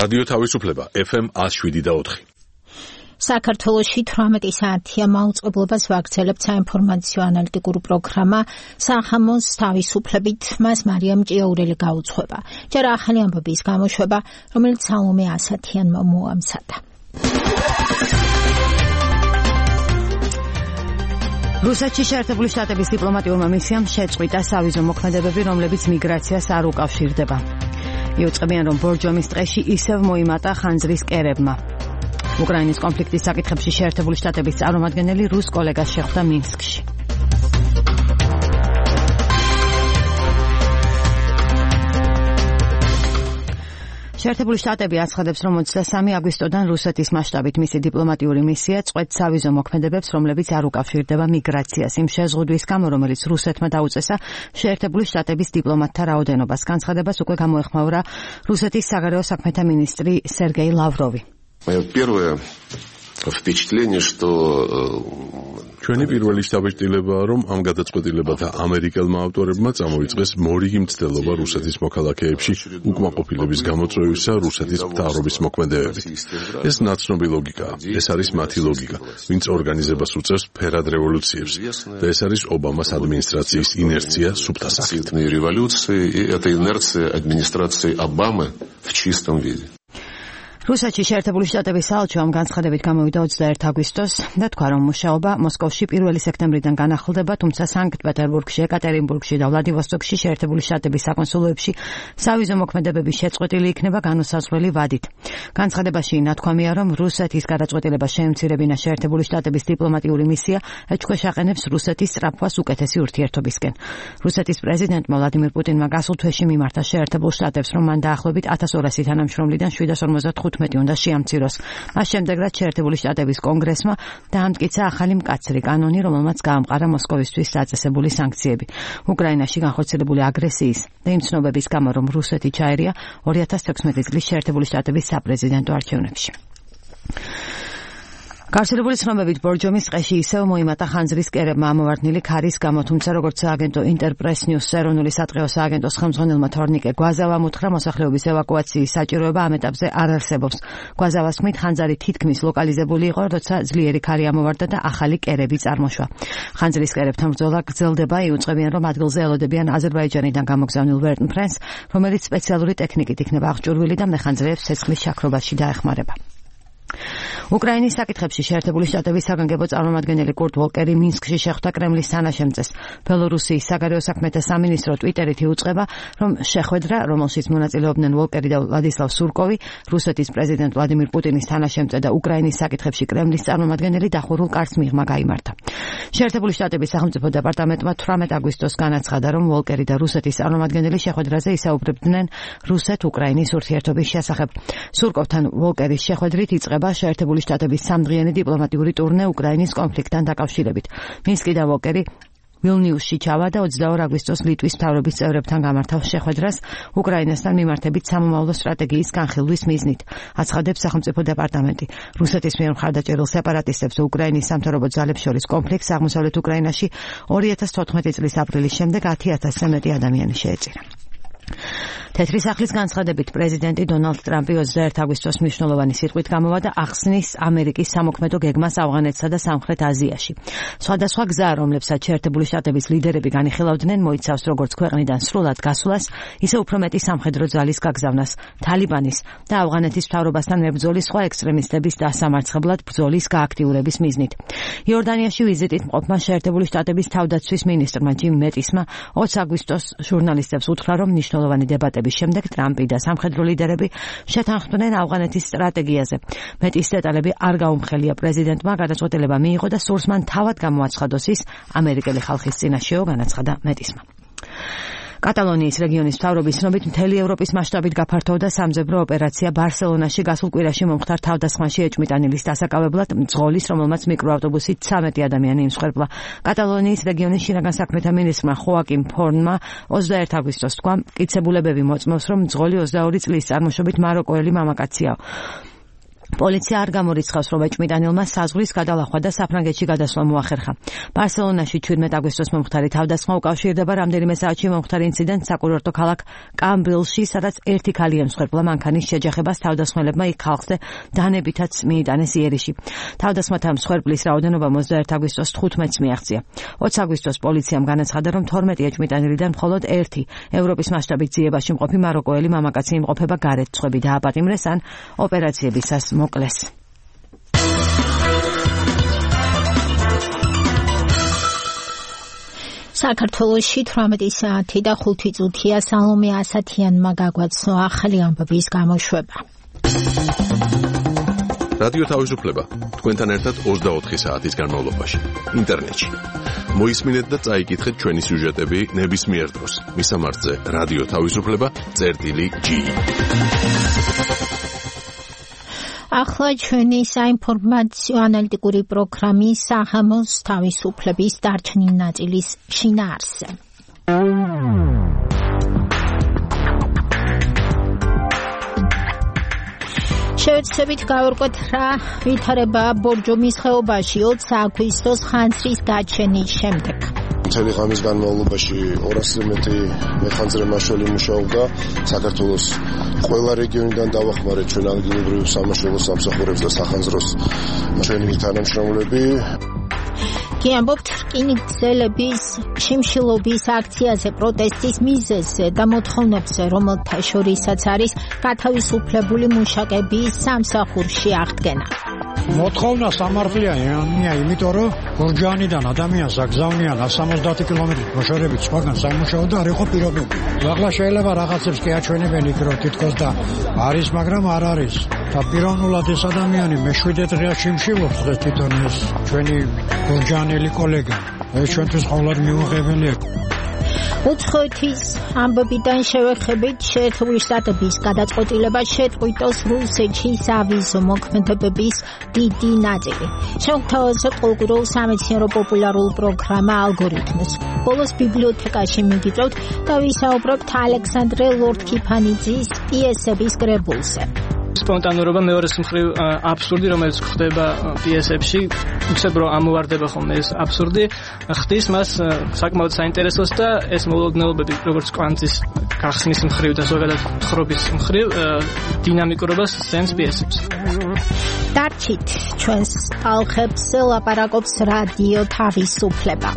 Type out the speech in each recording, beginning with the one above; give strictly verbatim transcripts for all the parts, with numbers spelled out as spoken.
რადიო თავისუფლება ეფ ემ ათს შვიდი და ოთხი. საქართველოში თვრამეტი საათია მაუწყებლობას ვაგრძელებთ საინფორმაციო ანალიტიკური პროგრამა სახამოს თავისუფლებით. მას მარიამ ჭიაურელი გაუძღვება. ჯერ ახალი ამბების გამოშვება, რომელიც სალომე ასათიანმა მოამზადა. რუსეთში შეერთებული შტატების დიპლომატიურმა მისიამ შეწყვიტა სავიზო მოქმედებები, რომლებიც მიგრაციას არ უკავშირდება. იუწყებიან, რომ ბორჯომის ტყეში ისევ მოიმატა ხანძრის კერებმა. უკრაინის კონფლიქტის საკითხებში შეერთებული შტატების წარმომადგენელი რუს კოლეგას შეხვდა მინსკში. შეერთებული შტატები აცხადებს, რომ ოცდასამი აგვისტოდან რუსეთის მასშტაბით მისი დიპლომატიური მისია წყვეტს სავიზო მოქმედებებს, რომლებიც არ უკავშირდება მიგრაციას. იმ შეზღუდვის გამო, რომელიც რუსეთმა დაუწესა შეერთებული შტატების დიპლომატთა რაოდენობას. განცხადებას უკვე გამოეხმაურა რუსეთის საგარეო საქმეთა მინისტრი სერგეი ლავროვი. Мое первое впечатление, что ჩვენი პირველი შთაბეჭდილებაა, რომ ამ გადაწყვეტილებათა ამერიკელმა ავტორებმა წამოიწყეს მორიგი მცდელობა რუსეთის მოქალაქეებში უკმაყოფილების გამოწვევისა რუსეთის მთავრობის მოქმედებებით. ეს ნაცნობი ლოგიკაა. ეს არის მათი ლოგიკა, ვინც ორგანიზებას უწევს ფერად რევოლუციებს და ეს არის ობამას ადმინისტრაციის ინერცია სუფთა სახით. революции, и это инерция администрации Обамы в чистом виде. რუსეთში შეერთებული შტატების საელჩო ამ განცხადებით გამოვიდა ოცდაერთი აგვისტოს და თქვა, რომ მუშაობა მოსკოვში პირველი სექტემბრიდან განახლდება, თუმცა სანქტ-პეტერბურგში, ეკატერინბურგში და ვლადივოსტოკში შეერთებული შტატების საკონსულოებში სავიზო მოქმედებების შეწყვეტილი იქნება განუსაზღვრელი ვადით. განცხადებაში ნათქვამია, რომ რუსეთის გადაწყვეტილებას შეემცირებინა შეერთებული შტატების დიპლომატიური მისია ეჭქვეშ აყენებს რუსეთის სწრაფვას უკეთესი ურთიერთობისკენ. რუსეთის პრეზიდენტმა ვლადიმირ პუტინმა გასულ თვეში მიმართა შეერთებულ შტატებს, რომ მან დაახლოებით ათას ორასი თანამშრომლიდან შვიდას ორმოცდათხუთმეტი უნდა შეამციროს. მას შემდეგ, რაც შეერთებული შტატების კონგრესმა დაამტკიცა ახალი მკაცრი კანონი, რომელმაც გაამყარა მოსკოვისთვის დაწესებული სანქციები. უკრაინაში განხორციელებული აგრესიის და იმ ცნობების გამო, რომ რუსეთი ჩაერია ორი ათას თექვსმეტი წლის შეერთებული შტატების საპრეზიდენტო არჩევნებში. გავრცელებული ცნობებით ბორჯომის ტყეში ისევ მოიმატა ხანძრის კერებმა ამოვარდნილი ქარის გამო, თუმცა როგორც სააგენტო ინტერპრეს ნიუს ეროვნული სატყეო სააგენტოს ხელმძღვანელმა თორნიკე გვაზავამ უთხრა, მოსახლეობის ევაკუაციის საჭიროება ამ ეტაპზე არ არსებობს. გვაზავას თქმით, ხანძარი თითქმის ლოკალიზებული იყო, როცა ძლიერი ქარი ამოვარდა და ახალი კერები წარმოშვა. ხანძრის კერებთან ბრძოლა გრძელდება. იუწყებიან, რომ ადგილზე ელოდებიან აზერბაიჯანიდან გამოგზავნილ ვერტმფრენს, რომელიც სპეციალური ტექნიკით იქნება აღჭურვილი და მეხანძრეებს ცეცხლის შაქრობაში დაეხმარება. უკრაინის საკითხებში შეერთებული შტატების საგანგებო წარმომადგენელი კურტ ვოლკერი მინსკში შეხვდა კრემლის თანაშემწეს. ბელორუსიის საგარეო საქმეთა სამინისტრო ტვიტერით იუწყება, რომ შეხვედრა, რომელშიც მონაწილეობდნენ ვოლკერი და ვლადისლავ სურკოვი, რუსეთის პრეზიდენტ ვლადიმირ პუტინის თანაშემწე და უკრაინის საკითხებში კრემლის წარმომადგენელი დახურულ კარს მიღმა გაიმართა. შეერთებული შტატების სახელმწიფო დეპარტამენტმა თვრამეტი აგვისტოს განაცხადა, რომ ვოლკერი და რუსეთის წარმომადგენელი შეხვედრაზე ისაუბრებდნენ რუსეთ-უკრაინის ურთიერთობის შესახებ. სურკოვთან ვოლკერის შეხვედრით იწყება შეერთებული შტატების სამდღიანი დიპლომატიური ტურნე უკრაინის კონფლიქტთან დაკავშირებით. მინსკი და ვოლკერი ვილნიუსში ჩავა და ოცდაორი აგვისტოს ლიტვის მთავრობის წევრებთან გამართავს შეხვედრას უკრაინასთან მიმართებით სამომავლო სტრატეგიის განხილვის მიზნით. აცხადებს სახელმწიფო დეპარტამენტი. რუსეთის მიერ მხარდაჭერილ სეპარატისტებს უკრაინის სამთავრობო ძალებს შორის კონფლიქტს აღმოსავლეთ უკრაინაში ორი ათას თოთხმეტი წლის აპრილის შემდეგ ათი ათასზე მეტი ადამიანი შეეწირა. თეთრი სახლის განცხადებით პრეზიდენტი დონალდ ტრამპი ოცდაერთი აგვისტოს მნიშვნელოვანი სიტყვით გამოვა და ახსნის ამერიკის სამოქმედო გეგმას ავღანეთსა და სამხრეთ აზიაში. სხვადასხვა გზა, რომლებსაც შეერთებული შტატების ლიდერები განიხილავდნენ, მოიცავს როგორც ქვეყნიდან სრულად გასვლას, ისე უფრო მეტი სამხედრო ძალის გაგზავნას, თალიბანის და ავღანეთის მთავრობასთან მებრძოლის სხვა ექსტრემისტების დასამარცხებლად ბრძოლის გააქტიურების მიზნით. იორდანიაში ვიზიტით მყოფმა შეერთებული შტატების თავდაცვის მინისტრმა ჯიმ მეტისმა ოცი აგვისტოს ჟურნალისტებს უთხრა, რომ მნიშვნელოვანი დებატები შემდეგ ტრამპი და სამხედრო ლიდერები შეთანხმდნენ ავღანეთის სტრატეგიაზე. მეტის დეტალები არ გაუმხელია პრეზიდენტმა, გადაწყვეტილება მიიღო და სურს მან თავად გამოაცხადოს ის ამერიკელი ხალხის წინაშეო, განაცხადა მეტისმა. კატალონიის რეგიონის მთავრობის ცნობით მთელი ევროპის მასშტაბით გაფართოვდა სამძებრო ოპერაცია ბარსელონაში გასულ კვირაში მომხდარ თავდასხმაში ეჭვმიტანილის დასაკავებლად მძღოლის, რომელმაც მიკროავტობუსით ცამეტი ადამიანი იმსხვერპლა. კატალონიის რეგიონის შინაგან საქმეთა მინისტრმა ხოაკიმ ფორნმა ოცდაერთი აგვისტოს თქვა, მტკიცებულებები მოწმობს, რომ მძღოლი ოცდაორი წლის წარმოშობით მაროკოელი მამაკაცია. პოლიცია არ გამორიცხავს, რომ ეჭვმიტანილმა საზღვრის გადალახვა და საფრანგეთში გადასვლა მოახერხა. ბარსელონაში ჩვიდმეტ აგვისტოს მომხდარი თავდასხმა უკავშირდება რამდენიმე საათში მომხდარ ინციდენტს საკურორტო ქალაქ კამბრილში, სადაც ერთი ქალი ემსხვერპლა მანქანის შეჯახებას თავდასხმელებმა იქ ხალხზე დანებითაც მიიტანეს იერიში. თავდასხმათა მსხვერპლის რაოდენობა ოცდაერთი აგვისტოს თხუთმეტს მიაღწია. ოცი აგვისტოს პოლიციამ განაცხადა, რომ თორმეტი ეჭვმიტანილიდან მხოლოდ ერთი ევროპის მასშტაბით ძიებაში მყოფი მაროკოელი მამაკაცი იმყოფება გარეთ წვები დააპატიმრეს ან ოპერაციებისას მოკლეს. საქართველოში თვრამეტი საათი და ხუთი წუთია სალომე ასათიანმა გაგვაცნო ახალი ამბების გამოშვება. რადიო თავისუფლება თქვენთან ერთად ოცდაოთხი საათის განმავლობაში ინტერნეტში. მოისმინეთ და წაიკითხეთ ჩვენი სიუჟეტები ნებისმიერ დროს. მისამართზე რადიო თავისუფლება წერტილი ჯი. ახლა ჩვენი საინფორმაციო ანალიტიკური პროგრამის საღამოს თავისუფლების დარჩენილი ნაწილის შინაარსზე. შევეცდებით გავერკვეთ რა ვითარებაა ბორჯომის ხეობაში ოცი აგვისტოს ხანძრის გაჩენის შემდეგ. მთელი ღამის განმავლობაში ორასზე მეტი მეხანძრე მაშველი მუშაობდა. საქართველოს ყველა რეგიონიდან დავახმარეთ ჩვენ ადგილობრივ სამაშველო სამსახურებს და სახანძროს ჩვენი თანამშრომლები. კი ამბობთ რკინიგზელების შიმშილობის აქციაზე, პროტესტის მიზეზზე და მოთხოვნებზე, რომელთა შორისაც არის გათავისუფლებული მუშაკების სამსახურში აღდგენა. მოთხოვნა სამართლიანია, იმიტომ რომ გურჯაანიდან ადამიანს აგზავნიან სამოცდაათი კილომეტრით მოშორებით სხვაგან სამუშაო და არ იყო პირობები. ახლა შეიძლება რაღაცებს კი აჩვენებენ იქ რომ თითქოს და არის, მაგრამ არ არის. და პიროვნულად ეს ადამიანი მეშვიდე დღეა შიმშილობს დღეს თვითონ ეს ჩვენი გურჯაანელი კოლეგა. ეს ჩვენთვის ყოველად მიუღებელია. უცხოეთის ამბებიდან შევეხებით შეერთებული შტატების გადაწყვეტილება შეწყვიტოს რუსეთში სავიზო მოქმედებების დიდი ნაწილი. შემოგთავაზებთ ყოველკვირეულ სამეცნიერო პოპულარულ პროგრამა ალგორითმს. ბოლოს ბიბლიოთეკაში მიგიწევთ და ვისაუბრებთ ალექსანდრე ლორდ-კიფანიძის პიესების კრებულზე. სპონტანურობა მეორეს მხრივ აბსურდი, რომელიც ხდება პიესებში, უცებ რომ ამოვარდება ხოლმე ეს აბსურდი, ხდის მას საკმაოდ საინტერესოს და ეს მოულოდნელობები, როგორც კვანძის გახსნის მხრივ და ზოგადად თხრობის მხრივ დინამიკურობას სცემს პიესებს. დარჩით ჩვენს ალხებს ლაპარაკობს რადიო თავისუფლება.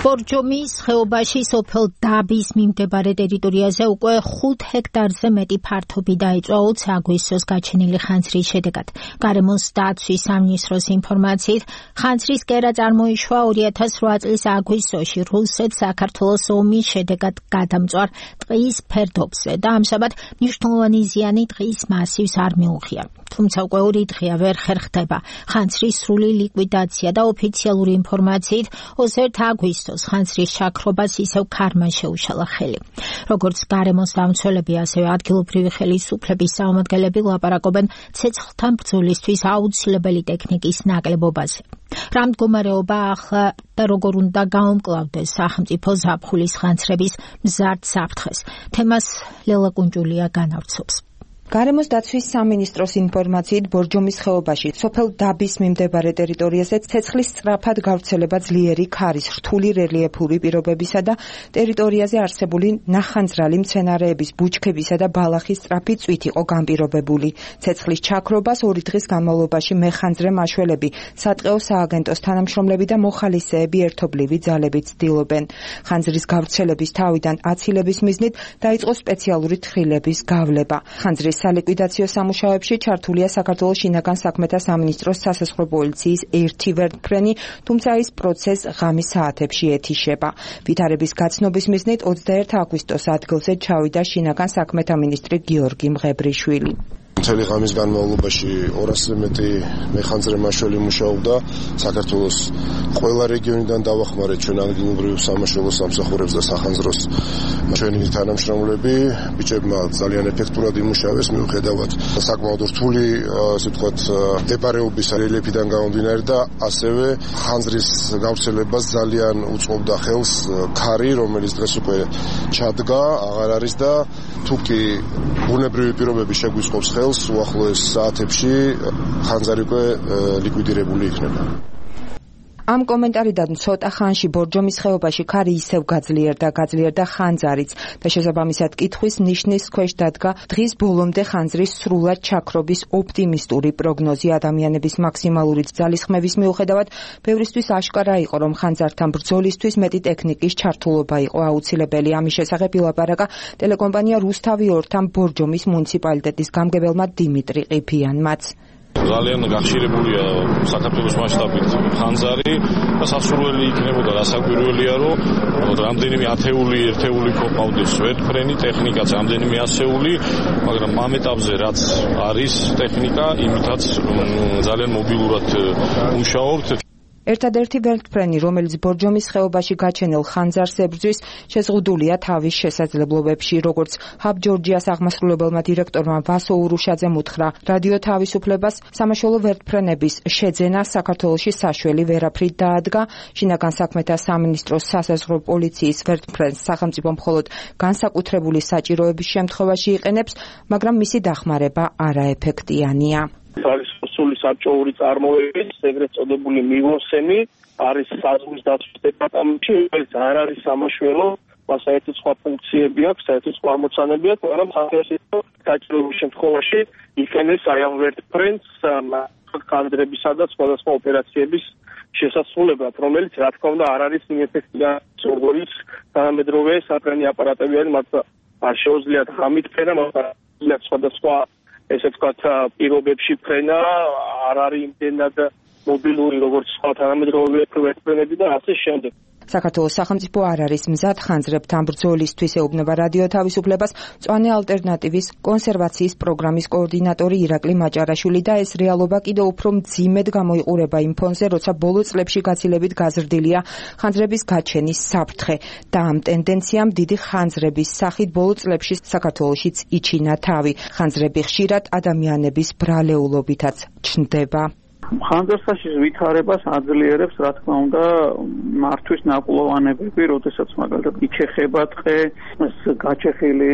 ბორჯომის ხეობაში სოფელ დაბის მიმდებარე ტერიტორიაზე უკვე ხუთ ჰექტარზე მეტი ფართობი დაიწვა ოცი აგვისტოს გაჩენილი ხანძრის შედეგად. გარემოს დაცვის სამინისტროს ინფორმაციით, ხანძრის კერა წარმოიშვა ორი ათას რვა წლის აგვისტოში რუსეთ-საქართველოს ომის შედეგად გადამწვარ ტყის ფერდობზე და ამჟამად მნიშვნელოვანი ზიანი ტყის მასივს არ მიუღია. თუმცა უკვე ორი დღეა ვერ ხერხდება ხანძრის სრული ლიკვიდაცია და ოფიციალური ინფორმაციით ოცდაერთი აგვისტოს ხანძრის შაქრობას ისევ ქარმა შეუშალა ხელი. როგორც გარემოს დამცველები, ასევე ადგილობრივი ხელისუფლების წარმომადგენლები ლაპარაკობენ ცეცხლთან ბრძოლისთვის აუცილებელი ტექნიკის ნაკლებობაზე. რა მდგომარეობა ახლა და როგორ უნდა გაუმკლავდეს სახელმწიფო ზაფხულის ხანძრების მზარდ საფრთხეს. თემას ლელა კუნჯულია განავრცობს. გარემოს დაცვის სამინისტროს ინფორმაციით ბორჯომის ხეობაში სოფელ დაბის მიმდებარე ტერიტორიაზე ცეცხლის სწრაფად გავრცელება ძლიერი ქარის, რთული რელიეფური პირობებისა და ტერიტორიაზე არსებული ნახანძრალი მცენარეების, ბუჩქებისა და ბალახის სწრაფი წვით იყო განპირობებული. ცეცხლის ჩაქრობას ორი დღის განმავლობაში მეხანძრე მაშველები, სატყეო სააგენტოს თანამშრომლები და მოხალისეები ერთობლივი ძალებით ცდილობენ. ხანძრის გავრცელების თავიდან აცილების მიზნით დაიწყო სპეციალური თხილების გავლება. ხანძრის სალიკვიდაციო სამუშაოებში ჩართულია საქართველოს შინაგან საქმეთა სამინისტროს სასაზღვრო პოლიციის ერთი ვერტმფრენი, თუმცა ის პროცესს ღამის საათებში ეთიშება. ვითარების გაცნობის მიზნით ოცდაერთი აგვისტოს ადგილზე ჩავიდა შინაგან საქმეთა მინისტრი გიორგი მღებრიშვილი. მთელი ღამის განმავლობაში ორასზე მეტი მეხანძრე მაშველი მუშაობდა საქართველოს ყველა რეგიონიდან დავახმარეთ ჩვენ ადგილობრივ სამაშველო სამსახურებს და სახანძროს ჩვენი თანამშრომლები ბიჭებმა ძალიან ეფექტურად იმუშავეს მიუხედავად საკმაოდ რთული ასე ვთქვათ მდებარეობის რელიეფიდან გამომდინარე და ასევე ხანძრის გავრცელებას ძალიან უწყობდა ხელს ქარი რომელიც დღეს უკვე ჩადგა აღარ არის და თუკი ბუნებრივი პირობები შეგვისყობს ხელს უახლოეს საათებში ხანძარი უკვე ლიკვიდირებული იქნება. ამ კომენტარიდან ცოტა ხანში ბორჯომის ხეობაში ქარი ისევ გაძლიერდა, გაძლიერდა ხანძარიც და შესაბამისად კითხვის ნიშნის ქვეშ დადგა დღის ბოლომდე ხანძრის სრულად ჩაქრობის ოპტიმისტური პროგნოზი. ადამიანების მაქსიმალური ძალისხმევის მიუხედავად, ბევრისთვის აშკარა იყო, რომ ხანძართან ბრძოლისთვის მეტი ტექნიკის ჩართულობა იყო აუცილებელი. ამის შესახებ ილაპარაკა ტელეკომპანია რუსთავი ორთან ბორჯომის მუნიციპალიტეტის გამგებელმა დიმიტრი ყიფიანმაც. ძალიან გახშირებულია საქართველოს მასშტაბით ხანძარი და სასურველი იქნებოდა რასაკვირველია რომ რამდენიმე ათეული ერთეული ყავდეს ვერტფრენი ტექნიკაც რამდენიმე ასეული მაგრამ ამ ეტაპზე რაც არის ტექნიკა იმითაც ძალიან მობილურად მუშაობთ. ერთადერთი ვერტფრენი, რომელიც ბორჯომის ხეობაში გაჩენილ ხანძარს ებრძვის, შეზღუდულია თავის შესაძლებლობებში, როგორც ჰაბ ჯორჯიას აღმასრულებელმა დირექტორმა ვასო ურუშაძემ უთხრა რადიო თავისუფლებას, სამაშველო ვერტფრენების შეძენა საქართველოში საშველი ვერაფრით დაადგა. შინაგან საქმეთა სამინისტროს სასაზღვრო პოლიციის ვერტფრენს სახელმწიფო მხოლოდ განსაკუთრებული საჭიროების შემთხვევაში იყენებს, მაგრამ მისი დახმარება არაეფექტიანია. არის სრული საბჭოური წარმოებით, ეგრეთ წოდებული მივოსემი, არის საზღვრის დაცვის დეპარტამენტში, რომელიც არ არის სამაშველო, მას საერთოდ სხვა ფუნქციები აქვს, საერთოდ სხვა ამოცანები აქვს, მაგრამ სახელმწიფო საჭიროების შემთხვევაში იყენებს აი ამ ვერტფრენს ხანძრებისა და სხვადასხვა ოპერაციების შესასრულებლად, რომელიც რა თქმა უნდა არ არის იმ ეფექტიანი როგორც თანამედროვე საფრენი აპარატები არის, მათ არ შეუძლიათ ღამით ფენა, მაგრამ სხვადასხვა ესე ვთქვათ პირობებში ფრენა არ არის იმდენად მობილური როგორც სხვა თანამედროვე ვერტფრენები და ასე შემდეგ. საქართველოს სახელმწიფო არ არის მზად ხანძრებთან ბრძოლისთვის ეუბნება რადიო თავისუფლებას მწვანე ალტერნატივის კონსერვაციის პროგრამის კოორდინატორი ირაკლი მაჭარაშვილი და ეს რეალობა კიდევ უფრო მძიმედ გამოიყურება იმ ფონზე, როცა ბოლო წლებში გაცილებით გაზრდილია ხანძრების გაჩენის საფრთხე და ამ ტენდენციამ დიდი ხანძრების სახით ბოლო წლებში საქართველოშიც იჩინა თავი. ხანძრები ხშირად ადამიანების ბრალეულობითაც ჩნდება. ხანძარსაშის ვითარებას აძლიერებს, რა თქმა უნდა, მართვის ნაკლოვანებები, როდესაც მაგალითად იჩეხება ტყე, გაჩეხილი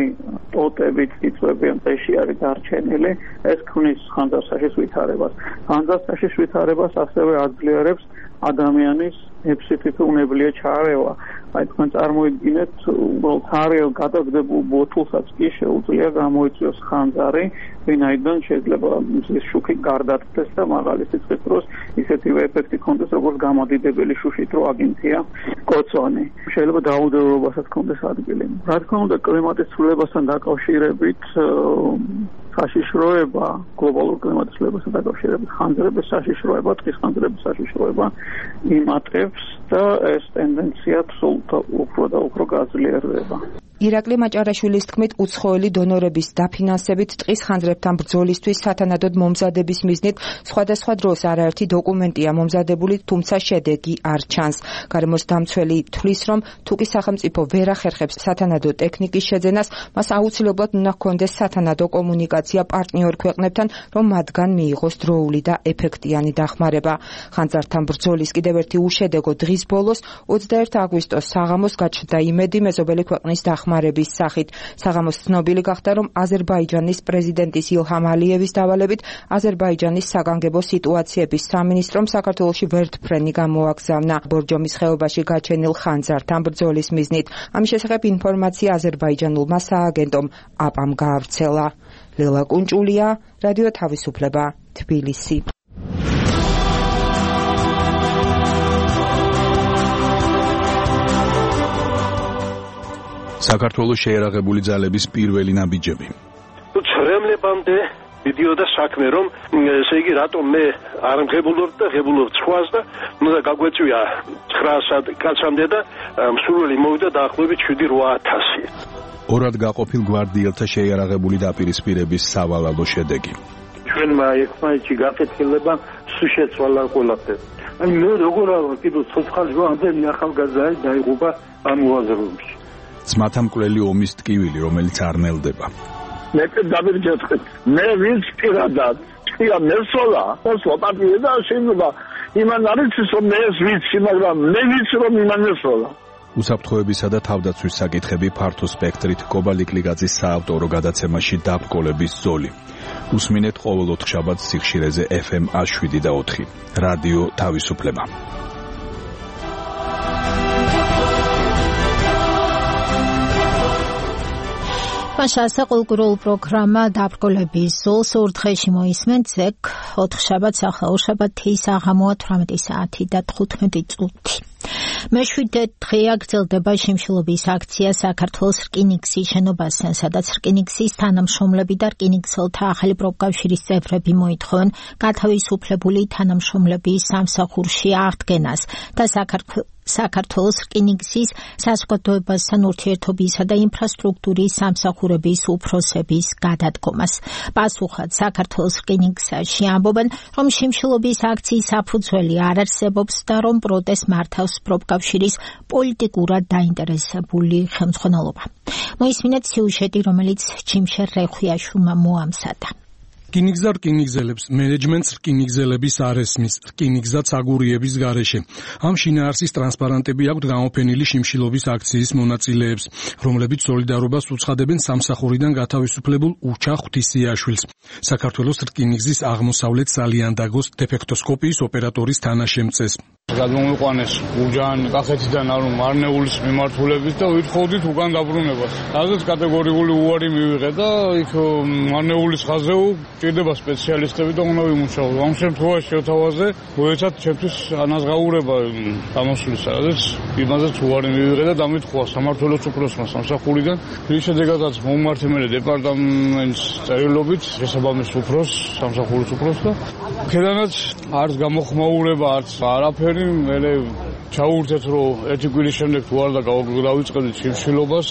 ტოტებით წიწვები ამ ტყეში არის დარჩენილი, ეს ქმნის ხანძარსაშის ვითარებას. ხანძარსაშის ვითარებას ასევე აძლიერებს ადამიანის epsifite უნებლიე ჩარევა. აი თქვენ წარმოიდგინეთ, უბრალოდ თარიელ გადაგდებულ ბოთლსაც კი შეუძლია გამოიწვიოს ხანძარი, ვინაიდან შეიძლება მზის შუქი გარდატდეს და მაღალი სიცხის დროს ისეთივე ეფექტი ქონდეს, როგორც გამოდიდებელი შუშით რო აგინთია კოცონი. შეიძლება დაუდევრობასაც ქონდეს ადგილი. რა თქმა უნდა, კლიმატის ცვლილებასთან დაკავშირებით საშიშროება, გლობალურ კლიმატის ცვლილებასთან დაკავშირებით ხანძრების საშიშროება, ტყის ხანძრების საშიშროება იმატებს და ეს ტენდენცია უფრო და უფრო გაძლიერდება. ირაკლი მაჭარაშვილის თქმით, უცხოელი დონორების დაფინანსებით ტყის ხანძრებთან ბრძოლისთვის სათანადოდ მომზადების მიზნით სხვადასხვა დროს არაერთი დოკუმენტია მომზადებული, თუმცა შედეგი არ ჩანს. გარემოს დამცველი თვლის, რომ თუკი სახელმწიფო ვერ ახერხებს სათანადო ტექნიკის შეძენას, მას აუცილებლად უნდა ჰქონდეს სათანადო კომუნიკაცია პარტნიორ ქვეყნებთან, რომ მათგან მიიღოს დროული და ეფექტიანი დახმარება. ხანძართან ბრძოლის კიდევ ერთი უშედეგო დღის ბოლოს ოცდაერთი აგვისტოს საღამოს გაჩნდა იმედი მეზობელი ქვეყნის დახმარებას ხმარების სახით. საღამოს ცნობილი გახდა, რომ აზერბაიჯანის პრეზიდენტის ილჰამ ალიევის დავალებით აზერბაიჯანის საგანგებო სიტუაციების სამინისტრომ საქართველოში ვერტფრენი გამოაგზავნა ბორჯომის ხეობაში გაჩენილ ხანძართან ბრძოლის მიზნით. ამის შესახებ ინფორმაცია აზერბაიჯანულმა სააგენტომ აპამ გაავრცელა. ლელა კუნჭულია, რადიო თავისუფლება, თბილისი. საქართველოს შეერაღებული ძალების პირველი ნაბიჯები. ცრემლებამდე მიდიოდა საქმე, რომ ესე იგი რატომ მე არ მღებულობ და ღებულობ სხვას და უნდა გაგვეწვია ცხრაასად კაცამდე და მსურველი მოვიდა დაახლოებით შვიდი რვა ათასი. ორად გაყოფილ გვარდიელთა შეიარაღებული დაპირისპირების სავალალო შედეგი. ჩვენმა ერთმანეთში გაკეთილება სულ შეცვალა ყველაფერი. აი მე როგორ არა კიდევ ცოცხალი ამდენი ახალგაზრდა დაიღუპა ამ მოაზროვნებში. ძმათა მკვლელი ომის ტკივილი, რომელიც არ ნელდება. მე დავირჯეთქეთ. მე ვინც პირადად ჭია მესოლა, ოსო პარტია და შეიძლება იმან არის რომ მე ვიცი, მაგრამ მე ვიცი რომ იმან მესოლა. უსაფრთხოებისა და თავდაცვის საკითხები ფართო სპექტრით კობალიკლიგაძის საავტორო გადაცემაში დაბრკოლების ზოლი. უსმინეთ ყოველ ოთხშაბათს სიხშირეზე ეფ ემ შვიდ და ოთხი. რადიო თავისუფლება. მაშასა კულტურულ პროგრამა დაბრკოლების ზოლს ორ დღეში მოისმენთ ზეგ ოთხშაბათს ახლა ორშაბათი საღამოა თვრამეტი საათი და თხუთმეტი წუთი. მეშვიდე დღეა გრძელდება შიმშილობის აქცია საქართველოს რკინიგზის შენობასთან, სადაც რკინიგზის თანამშრომლები და რკინიგზელთა ახალი პროფკავშირის წევრები მოითხოვენ გათავისუფლებული თანამშრომლების სამსახურში აღდგენას და საქართველოს საქართველოს რკინიგზის საზოგადოებასთან ურთიერთობისა და ინფრასტრუქტურის სამსახურების უფროსების გადადგომას. პასუხად საქართველოს რკინიგზაში ამბობენ, რომ შიმშილობის აქციის საფუძველი არ არსებობს და რომ პროტესტს მართავს პროფკავშირის პოლიტიკურად დაინტერესებული ხელმძღვანელობა. მოისმინეთ სიუჟეტი, რომელიც ჩიმშერ რეხვიაშვილმა მოამზადა. რკინიგზა რკინიგზელებს, მენეჯმენტს რკინიგზელების არ ესმის, რკინიგზა ცაგურიების გარეშე. ამ შინაარსის ტრანსპარანტები აქვთ გამოფენილი შიმშილობის აქციის მონაწილეებს, რომლებიც სოლიდარობას უცხადებენ სამსახურიდან გათავისუფლებულ უჩა ღვთისიაშვილს, საქართველოს რკინიგზის აღმოსავლეთ სალიანდაგოს დეფექტოსკოპიის ოპერატორის თანაშემწეს. გადმოვიყვანეს გურჯაანი კახეთიდან არის მარნეულის მიმართულებით და ვითხოვდით უკან დაბრუნებას. ასეც კატეგორიული უარი მივიღეთ და იქ მარნეულის ხაზზე ჭირდება სპეციალისტები და უნდა ვიმუშაოთ. ამ შემთხვევაში შევთავაზე მოეცათ ჩემთვის ანაზღაურება გამოსვლისა, რადგან იმაზეც უარი მივიღეთ და დამითხოვა სამმართველოს უფროსმა სამსახურიდან. ის შედეგადაც მომმართე მე დეპარტამენტს წერილობით შესაბამის უფროს, სამსახურის უფროს და ქედანაც არც გამოხმაურება, არც არაფერი მერე ჩაურთეთ რომ ერთი კვირის შემდეგ თუ არ და გავიწყებდით შიმშილობას,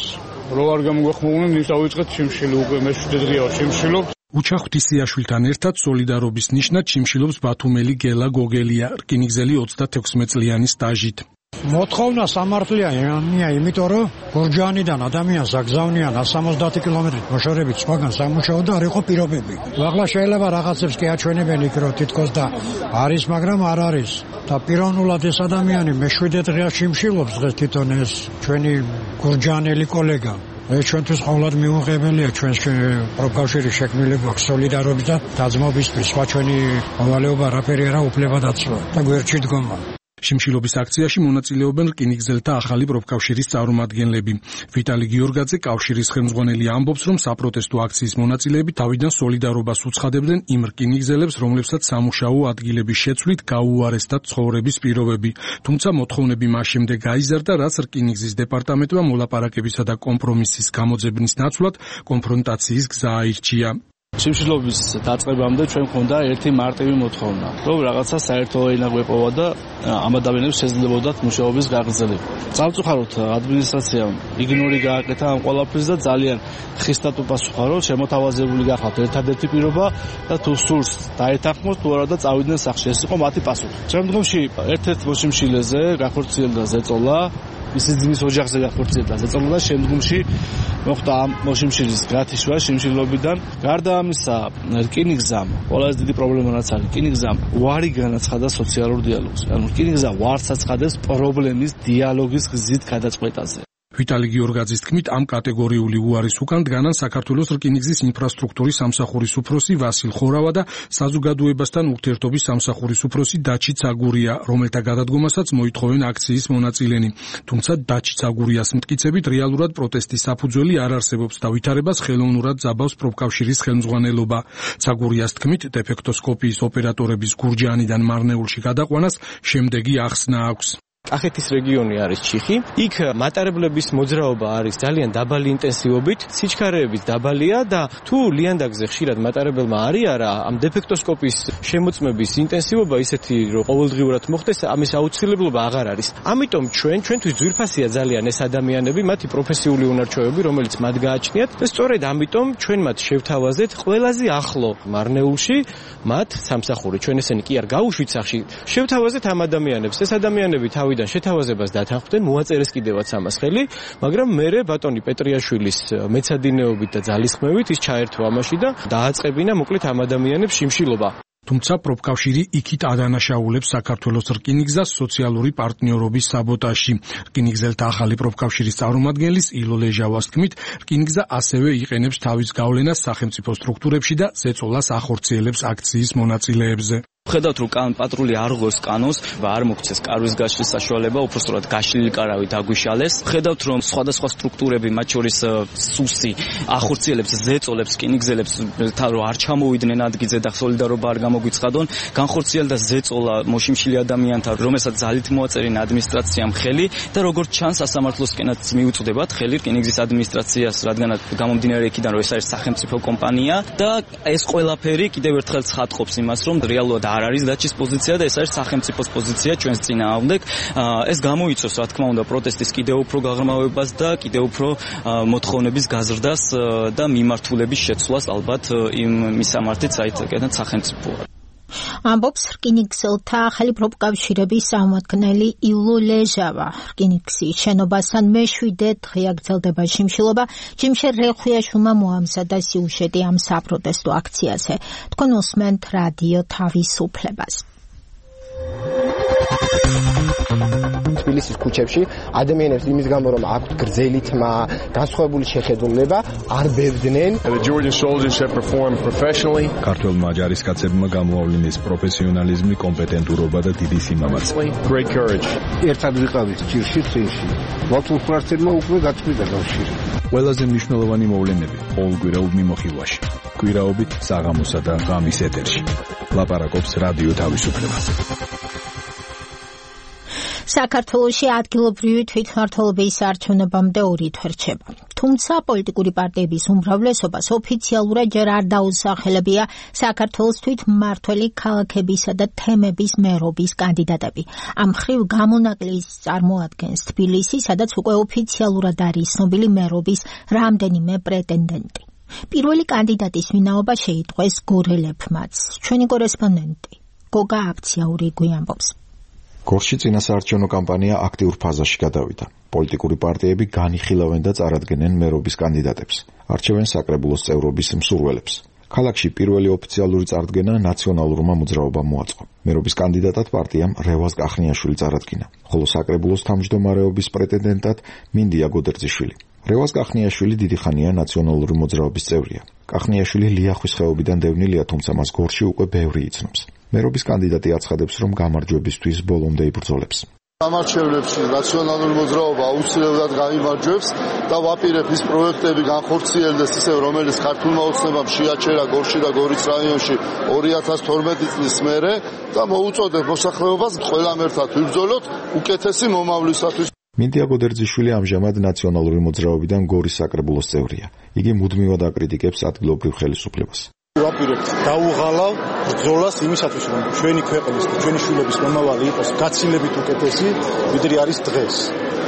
რო არ გამოგვეხმაურნენ, ის დავიწყეთ შიმშილი უკვე მეშვიდე დღეა შიმშილობ. უჩა ღვთისიაშვილთან ერთად სოლიდარობის ნიშნად შიმშილობს ბათუმელი გელა გოგელია, რკინიგზელი ოცდათექვსმეტ წლიანი სტაჟით. მოთხოვნა სამართლიანია, იმიტომ რომ გურჯაანიდან ადამიანს აგზავნიან სამოცდაათი კილომეტრით მოშორებით სხვაგან სამუშაო და არ იყო პირობები. ახლა შეიძლება რაღაცებს კი აჩვენებენ იქ რომ თითქოს და არის, მაგრამ არ არის. და პიროვნულად ეს ადამიანი მეშვიდე დღეა შიმშილობს დღეს თვითონ ეს ჩვენი გურჯაანელი კოლეგა. ეს ჩვენთვის ყოველად მიუღებელია, ჩვენს პროფკავშირის შექმნილი გვაქვს სოლიდარობის და დაძმობისთვის, სხვა ჩვენი მოვალეობა რაფერი არა უფლებადაცვა და გვერდში დგომა. შიმშილობის აქციაში მონაწილეობენ რკინიგზელთა ახალი პროფკავშირის წარმომადგენლები. ვიტალი გიორგაძე, კავშირის ხელმძღვანელი, ამბობს, რომ საპროტესტო აქციის მონაწილეები თავიდან სოლიდარობას უცხადებდნენ იმ რკინიგზელებს, რომლებსაც სამუშაო ადგილების შეცვლით გაუარესდა ცხოვრების პირობები. თუმცა მოთხოვნები მას შემდეგ გაიზარდა, რაც რკინიგზის დეპარტამენტმა მოლაპარაკებისა და კომპრომისის გამოძებნის ნაცვლად კონფრონტაციის გზა აირჩია. შიმშილობის დაწყებამდე ჩვენ მქონდა ერთი მარტივი მოთხოვნა, რომ რაღაცა საერთო ენა გვეპოვა და ამ ადამიანებს შეძლებოდათ მუშაობის გაგრძელება. სამწუხაროდ ადმინისტრაციამ იგნორი გააკეთა ამ ყველაფერს და ძალიან ხისტად უპასუხა, რომ შემოთავაზებული გახავთ ერთადერთი პირობა და თუ სურს დაეთანხმოთ თუ არა და წავიდნენ სახში. ეს იყო მათი პასუხი. შემდგომში ერთ-ერთ მოშიმშილეზე გახორციელდა ზეწოლა, მისი ძმის ოჯახზე გახორციელდა ზეწოლა და შემდგომში მოხდა ამ მოშიმშილის გათიშვა შიმშილობიდან. გარდა ამისა, რკინიგზამ ყველაზე დიდი პრობლემა რაც არის, რკინიგზამ უარი განაცხადა სოციალურ დიალოგს. ანუ რკინიგზა უარს აცხადებს პრობლემის დიალოგის გზით გადაწყვეტაზე. ვიტალი გიორგაძის თქმით, ამ კატეგორიული უარის უკან დგანან საქართველოს რკინიგზის ინფრასტრუქტურის სამსახურის უფროსი ვასილ ხორავა და საზოგადოებასთან ურთიერთობის სამსახურის უფროსი დაჩი ცაგურია, რომელთა გადადგომასაც მოითხოვენ აქციის მონაწილენი. თუმცა დაჩი ცაგურიას მტკიცებით რეალურად პროტესტის საფუძველი არ არსებობს და ვითარებას ხელოვნურად ძაბავს პროფკავშირის ხელმძღვანელობა. ცაგურიას თქმით, დეფექტოსკოპიის ოპერატორების გურჯაანიდან მარნეულში გადაყვანას შემდეგი ახსნა აქვს. კახეთის რეგიონი არის ჩიხი. იქ მატარებლების მოძრაობა არის ძალიან დაბალი ინტენსივობით, სიჩქარეებით დაბალია და თუ ლიანდაგზე ხშირად მატარებელმა არიარა ამ დეფექტოსკოპის შემოწმების ინტენსივობა ისეთი რომ ყოველდღიურად მოხდეს, ამის აუცილებლობა აღარ არის. ამიტომ ჩვენ ჩვენთვის ძვირფასია ძალიან ეს ადამიანები, მათი პროფესიული უნარჩვევები, რომელიც მათ გააჩნიათ და სწორედ ამიტომ ჩვენ მათ შევთავაზეთ ყველაზე ახლო მარნეულში, მათ სამსახური. ჩვენ ესენი კი არ გაუშვით სახში. შევთავაზეთ ამ ადამიანებს. ეს ადამიანები თავიდან შეთავაზებას დათანხმდნენ, მოაწერეს კიდევაც ამას ხელი, მაგრამ მერე ბატონი პეტრიაშვილის მეცადინეობით და ძალისხმევით ის ჩაერთო ამაში და დააწყებინა მოკლედ ამ ადამიანებს შიმშილობა. თუმცა პროფკავშირი იქით ადანაშაულებს საქართველოს რკინიგზას სოციალური პარტნიორობის საბოტაჟში. რკინიგზელთა ახალი პროფკავშირის წარმომადგენლის ილო ლეჟავას თქმით, რკინიგზა ასევე იყენებს თავის გავლენას სახელმწიფო სტრუქტურებში და ზეწოლას ახორციელებს აქციის მონაწილეებზე. ხედავთ რომ კან პატრული არ ღოს კანონს, არ მოგცეს კარვის გაშლის საშუალება, უпростоრად გაშლილი კარავი დაგვიშალეს. ხედავთ რომ სხვადასხვა სტრუქტურები, მათ შორის სუსი, ახორციელებს, ზეწოლებს, რკინიგზელებს, რომ არ ჩამოვიდნენ ადგილზე და სოლიდარობა არ გამოგვიცხადონ, განხორციელდა ზეწოლა მოშიმშილი ადამიანთა, რომელსაც ძალით მოაწერინა ადმინისტრაციამ ხელი და როგორც ჩანს სასამართლოსკენაც მიუწვდებათ ხელი რკინიგზის ადმინისტრაციას, რადგანაც გამომდინარე იქიდან რომ ეს არის სახელმწიფო კომპანია და ეს ყველაფერი კიდევ ერთხელ ცხადყოფს იმას, რომ რეალურად არ არის დაჩის პოზიცია და ეს არის სახელმწიფოს პოზიცია ჩვენს წინააღმდეგ. ეს გამოიწვევს რა თქმა უნდა პროტესტის კიდევ უფრო გაღრმავებას და კიდევ უფრო მოთხოვნების გაზრდას და მიმართულების შეცვლას ალბათ იმ მისამართით საერთოდ სახელმწიფოა. ამბობს რკინიგზელთა ახალი პროფკავშირების წარმომადგენელი ილო ლეჟავა. რკინიგზის შენობასთან მეშვიდე დღე აგრძელდება შიმშილობა. ჯიმშე რეხვიაშვილმა მოამზადა სიუჟეტი ამ საპროტესტო აქციაზე. თქვენ უსმენთ რადიო თავისუფლებას. თბილისის ქუჩებში ადამიანებს იმის გამო რომ აქვთ გრძელი თმა, განსხვავებული შეხედულება, არ ბებდნენ. ქართველმა ჯარისკაცებმა გამოავლინეს პროფესიონალიზმი, კომპეტენტურობა და დიდი სიმამაცე. ერთად ვიყავით ჭირში წინში. მართლმსვარცებმა უკვე გაწყვიტა კავშირი. ყველაზე მნიშვნელოვანი მოვლენები ყოველკვირეულ მიმოხილვაში. კვირაობით საღამოსა და ღამის ეთერში. ლაპარაკობს რადიო თავისუფლებას. საქართველოში ადგილობრივი თვითმმართველობის არჩევნებამდე ორი თვე რჩება. თუმცა პოლიტიკური პარტიების უმრავლესობას ოფიციალურად ჯერ არ დაუსახელებია საქართველოს თვითმმართველი ქალაქებისა და თემების მერობის კანდიდატები. ამ მხრივ გამონაკლისს წარმოადგენს თბილისი, სადაც უკვე ოფიციალურად არის ცნობილი მერობის რამდენიმე პრეტენდენტი. პირველი კანდიდატის ვინაობა შეიტყვეს გორელებმაც. ჩვენი კორესპონდენტი გოგა აფციაური გვიამბობს. გორში წინასაარჩევნო კამპანია აქტიურ ფაზაში გადავიდა. პოლიტიკური პარტიები განიხილავენ და წარადგენენ მერობის კანდიდატებს. არჩევენ საკრებულოს წევრობის მსურველებს. ქალაქში პირველი ოფიციალური წარდგენა ნაციონალურმა მოძრაობამ მოაწყო. მერობის კანდიდატად პარტიამ რევაზ კახნიაშვილი წარადგინა, ხოლო საკრებულოს თავმჯდომარეობის პრეტენდენტად მინდია გოდერძიშვილი. რევაზ კახნიაშვილი დიდი ხანია ნაციონალური მოძრაობის წევრია. კახნიაშვილი ლიახვის ხეობიდან დევნილია, თუმცა მას გორში უკვე ბევრი იცნობს. მერობის კანდიდატი აცხადებს, რომ გამარჯვებისთვის ბოლომდე იბრძოლებს. სამარჩევნებში ნაციონალური მოძრაობა აუცილებლად გამიმარჯვებს და ვაპირებ ის პროექტები განხორციელდეს ისევ, რომელიც ქართულმა ოცნებამ შეაჩერა გორში და გორის რაიონში ორი ათას თორმეტი წლის მერე და მოუწოდებ მოსახლეობას ყველამ ერთად ვიბრძოლოთ უკეთესი მომავლისათვის. მინდია გოდერძიშვილი ამჟამად ნაციონალური მოძრაობიდან გორის საკრებულოს წევრია. იგი მუდმივად აკრიტიკებს ადგილობრივ ხელისუფლებას. ვაპირებთ დაუღალავ ბრძოლას იმისათვის, რომ ჩვენი ქვეყნის და ჩვენი შვილების მომავალი იყოს გაცილებით უკეთესი, ვიდრე არის დღეს.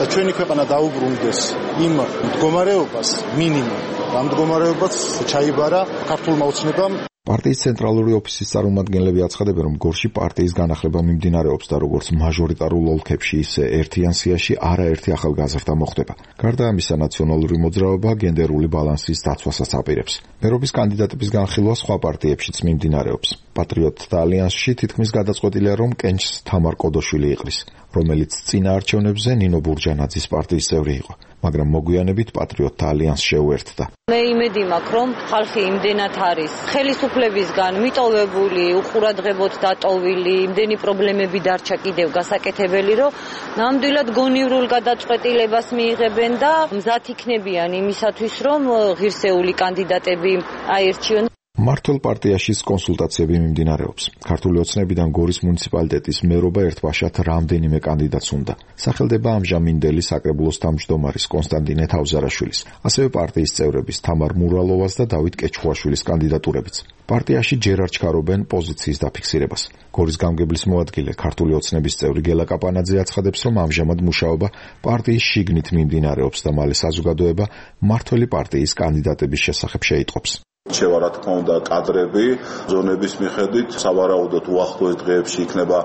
და ჩვენი ქვეყანა დაუბრუნდეს იმ მდგომარეობას მინიმუმ, ამ მდგომარეობას ჩაიბარა ქართულმა ოცნებამ. პარტიის ცენტრალური ოფისის წარმომადგენლები აცხადებენ, რომ გორში პარტიის განახლება მიმდინარეობს და როგორც მაჟორიტარულ ოლქებში, ისე ერთიან სიაში არაერთი ახალგაზრდა მოხდება. გარდა ამისა, ნაციონალური მოძრაობა გენდერული ბალანსის დაცვასაც აპირებს. მერობის კანდიდატების განხილვა სხვა პარტიებშიც მიმდინარეობს. პატრიოტთა ალიანსში თითქმის გადაწყვეტილია, რომ კენჭს თამარ კოდოშვილი იყრის, რომელიც წინა არჩევნებზე ნინო ბურჯანაძის პარტიის წევრი იყო, მაგრამ მოგვიანებით პატრიოტთა ალიანსს შეუერთდა. მე იმედი მაქვს, რომ ხალხი იმდენად არის ხელისუფლებისგან მიტოვებული, უყურადღებოდ დატოვილი, იმდენი პრობლემები დარჩა კიდევ გასაკეთებელი, რომ ნამდვილად გონივრულ გადაწყვეტილებას მიიღებენ და მზად იქნებიან იმისათვის, რომ ღირსეული კანდიდატები აირჩიონ. მართლ პარტიაში კონსულტაციები მიმდინარეობს. ქართული ოცნებიდან გორის მუნიციპალიტეტის მერობა ერთბაშად რამდენიმე კანდიდატს უნდა. სახელდება ამჟამინდელი საკრებულოს თავმჯდომარის კონსტანტინე თავზარაშვილის, ასევე პარტიის წევრების თამარ მურალოვას და დავით კეჩხუაშვილის კანდიდატურებიც. პარტიაში ჯერ არ ჩქარობენ პოზიციის დაფიქსირებას. გორის გამგებლის მოადგილე ქართული ოცნების წევრი გელა კაპანაძე აცხადებს, რომ ამჟამად მუშაობა პარტიის შიგნით მიმდინარეობს და მალე საზოგადოება მართველი პარტიის კანდიდატების შესახებ შეიტყობს. შევა რა თქმა უნდა კადრები ზონების მიხედვით სავარაუდოდ უახლოეს დღეებში იქნება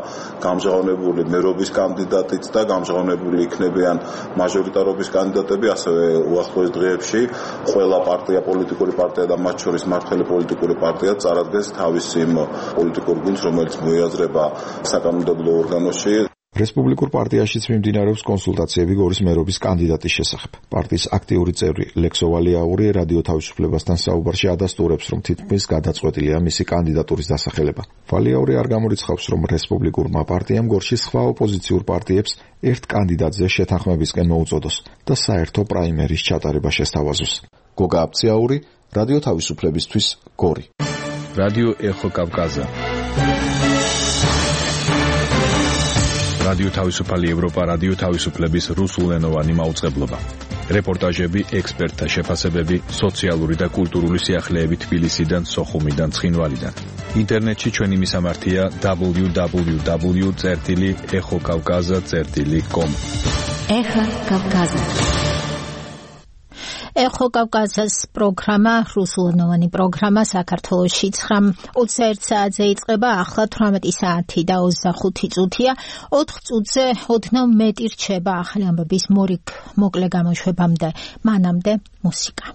გამჟღავნებული მერობის კანდიდატიც და გამჟღავნებული იქნებიან მაჟორიტარობის კანდიდატები, ასევე უახლოეს დღეებში ყველა პარტია, პოლიტიკური პარტია და მათ შორის მართველი პოლიტიკური პარტია წარადგენს თავის იმ პოლიტიკურ გუნდს, რომელიც მოიაზრება საკანონმდებლო ორგანოში. რესპუბლიკურ პარტიაშიც მიმდინარეობს კონსულტაციები გორის მერობის კანდიდატის შესახებ. პარტიის აქტიური წევრი ლექსო ვალიაური რადიო თავისუფლებასთან საუბარში ადასტურებს, რომ თითქმის გადაწყვეტილია მისი კანდიდატურის დასახელება. ვალიაური არ გამორიცხავს, რომ რესპუბლიკურმა პარტიამ გორში სხვა ოპოზიციურ პარტიებს ერთ კანდიდატზე შეთანხმებისკენ მოუწოდოს და საერთო პრაიმერის ჩატარება შესთავაზოს. გოგა აბციაური, რადიო თავისუფლებისთვის, გორი. რადიო ეხო კავკაზა. რადიო თავისუფალი ევროპა, რადიო თავისუფლების რუსულენოვანი მაუწყებლობა. რეპორტაჟები, ექსპერტთა შეფასებები, სოციალური და კულტურული სიახლეები თბილისიდან, სოხუმიდან, ცხინვალიდან. ინტერნეტში ჩვენი მისამართია დაბლიუ დაბლიუ დაბლიუ წერტილი ეხო კავკაზა წერტილი კომ. ეხო კავკაზა. ეხო კავკაზას პროგრამა, რუსულენოვანი პროგრამა საქართველოში ოცდაერთ საათზე იწყება, ახლა თვრამეტი საათი და ოცდახუთი წუთია. ოთხ წუთზე ოდნავ მეტი რჩება ახალი ამბების მორიგ მოკლე გამოშვებამდე. მანამდე მუსიკა.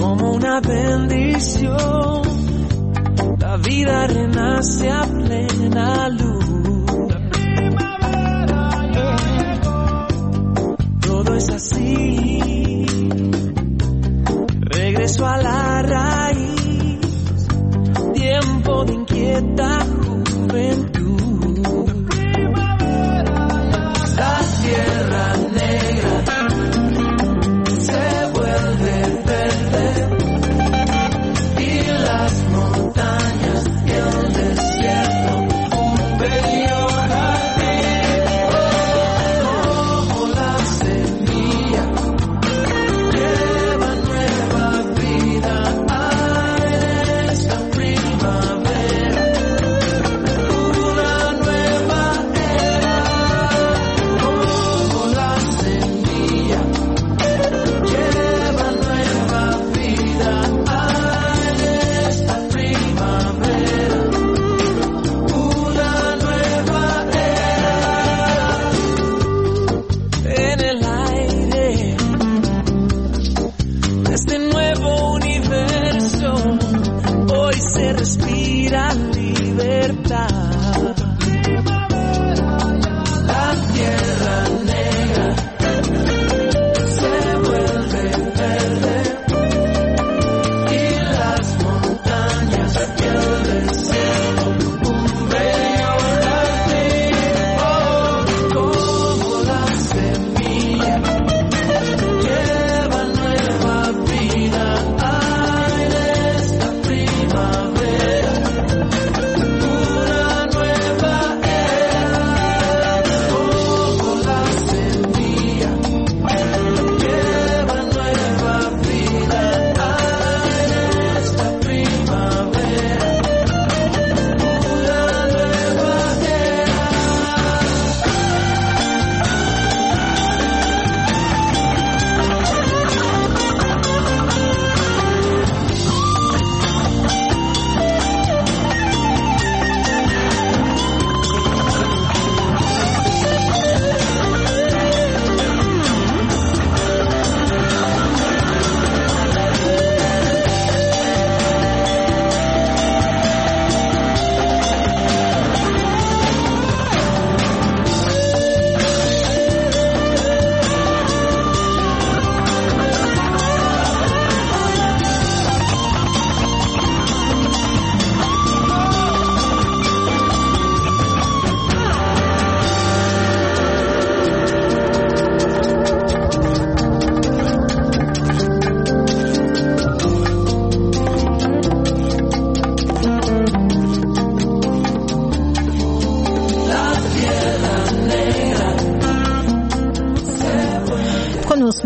Como una bendición, la vida renace a plena luz. Todo es así, regreso a la raíz, tiempo de inquieta juventud. La tierra negra se vuelve verde y las montañas y el desierto un bello jardín. Como la semilla lleva nueva vida en esta primavera, una nueva era. Como la semilla lleva nueva vida en esta primavera, una nueva era. En el aire de este nuevo universo hoy se respira libertad. La tierra negra se vuelve verde y las montañas y el desierto un bello jardín. Oh, como la semilla lleva nueva vida en esta primavera, una nueva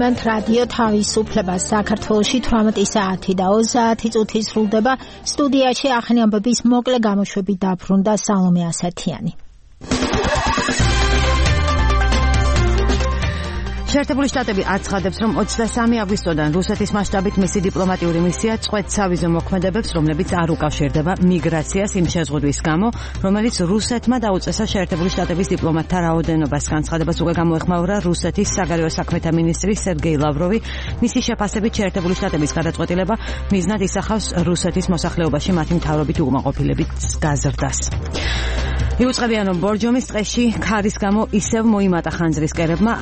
გისმენთ რადიო თავისუფლებას. საქართველოში თვრამეტი საათი და ოცდაათი წუთი სრულდება. სტუდიაში ახალი ამბების მოკლე გამოშვებით დაბრუნდა სალომე ასათიანი. შეერთებული შტატები აცხადებს, რომ ოცდასამი აგვისტოდან რუსეთის მასშტაბით მისი დიპლომატიური მისია წყვეტ სავიზო მოქმედებებს, რომლებიც არ უკავშირდება მიგრაციას იმ შეზღუდვის გამო, რომელიც რუსეთმა დაუწესა შეერთებული შტატების დიპლომატთა რაოდენობას. განცხადებას უკვე გამოეხმაურა რუსეთის საგარეო საქმეთა მინისტრი სერგეი ლავროვი. მისი შეფასებით შეერთებული შტატების გადაწყვეტილება მიზნად ისახავს რუსეთის მოსახლეობაში მათი მთავრობით უკმაყოფილების გაზრდას. იუწყებიან, რომ ბორჯომის ტყეში ქარის გამო ისევ მოიმატა ხანძრის კერებმა.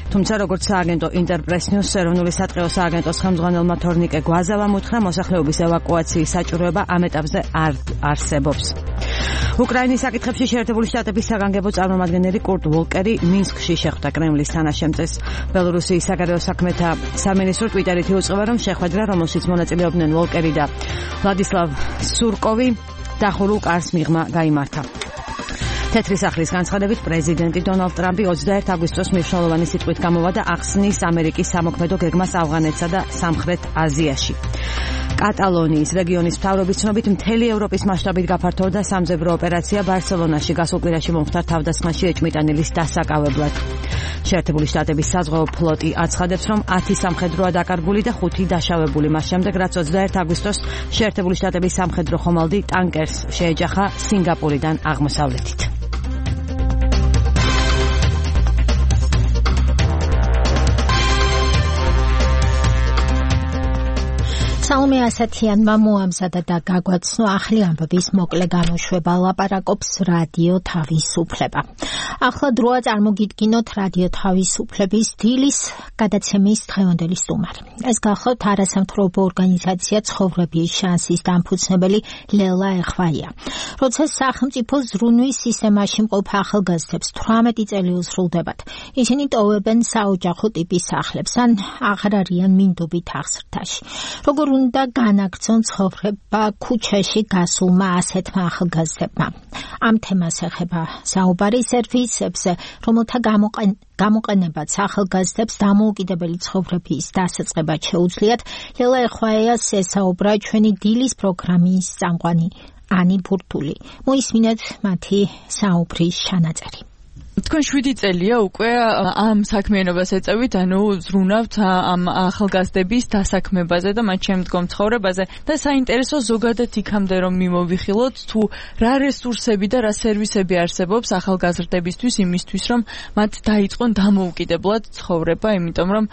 თუმცა როგორც სააგენტო ინტერპრეს ნიუს ეროვნული სატყეო სააგენტოს ხელმძღვანელმა თორნიკე გვაზავამ უთხრა, მოსახლეობის ევაკუაციის საჭიროება ამ ეტაპზე არ არსებობს. უკრაინის საკითხებში შეერთებული შტატების საგანგებო წარმომადგენელი კურტ ვოლკერი მინსკში შეხვდა კრემლის თანაშემწეს. ბელორუსიის საგარეო საქმეთა სამინისტრო ტვიტერით იუწყება, რომ შეხვედრა, რომელშიც მონაწილეობდნენ ვოლკერი და ვლადისლავ სურკოვი, დახურულ კარს მიღმა გაიმართა. თეთრი სახლის განცხადებით პრეზიდენტი დონალდ ტრამპი ოცდაერთი აგვისტოს მნიშვნელოვანი სიტყვით გამოვა და ახსნის ამერიკის სამოქმედო გეგმას ავღანეთსა და სამხრეთ აზიაში. კატალონიის რეგიონის მთავრობის ცნობით მთელი ევროპის მასშტაბით გაფართოვდა სამძებრო ოპერაცია ბარსელონაში გასულ კვირაში მომხდარ თავდასხმაში ეჭმიტანილის დასაკავებლად. შეერთებული შტატების საზღვაო ფლოტი აცხადებს, რომ ათი სამხედროა დაკარგული და ხუთი დაშავებული მას შემდეგ, რაც ოცდაერთი აგვისტოს შეერთებული შტატების სამხედრო ხომალდი ტანკერს შეეჯახა სინგაპურიდან აღმოსავლეთით. სალომე ასათიანმა მოამზადა და გაგვაცნო ახალი ამბების მოკლე გამოშვება. ლაპარაკობს რადიო თავისუფლება. ახლა დროა წარმოგიდგინოთ რადიო თავისუფლების დილის გადაცემის დღევანდელი სტუმარი. ეს გახლავთ არასამთავრობო ორგანიზაცია ცხოვრების შანსის დამფუძნებელი ლელა ეხვაია. როცა სახელმწიფო ზრუნვის სისტემაში მყოფ ახალგაზრდებს თვრამეტი წელი უსრულდებათ, ისინი ტოვებენ საოჯახო ტიპის სახლებს ან აღარ არიან მინდობით აღზრდაში. როგორ უნდა განაგრძონ ცხოვრება ქუჩაში გასულმა ასეთმა ახალგაზრდებმა. ამ თემას ეხება საუბარი სერვისებზე, რომელთა გამოყენებაც ახალგაზრდებს დამოუკიდებელი ცხოვრების დასაწყებად შეუძლიათ. ლელა ეხვაიას ესაუბრა ჩვენი დილის პროგრამის წამყვანი ანი ბურთული. მოისმინეთ მათი საუბრის ჩანაწერი. თქვენ შვიდი წელია უკვე ამ საქმიანობას ეწევით, ანუ ზრუნავთ ამ ახალგაზრდების დასაქმებაზე და მათ შემდგომ ცხოვრებაზე და საინტერესო ზოგადად იქამდე რომ მიმოვიხილოთ, თუ რა რესურსები და რა სერვისები არსებობს ახალგაზრდებისთვის იმისთვის, რომ მათ დაიწყონ დამოუკიდებლად ცხოვრება, იმიტომ რომ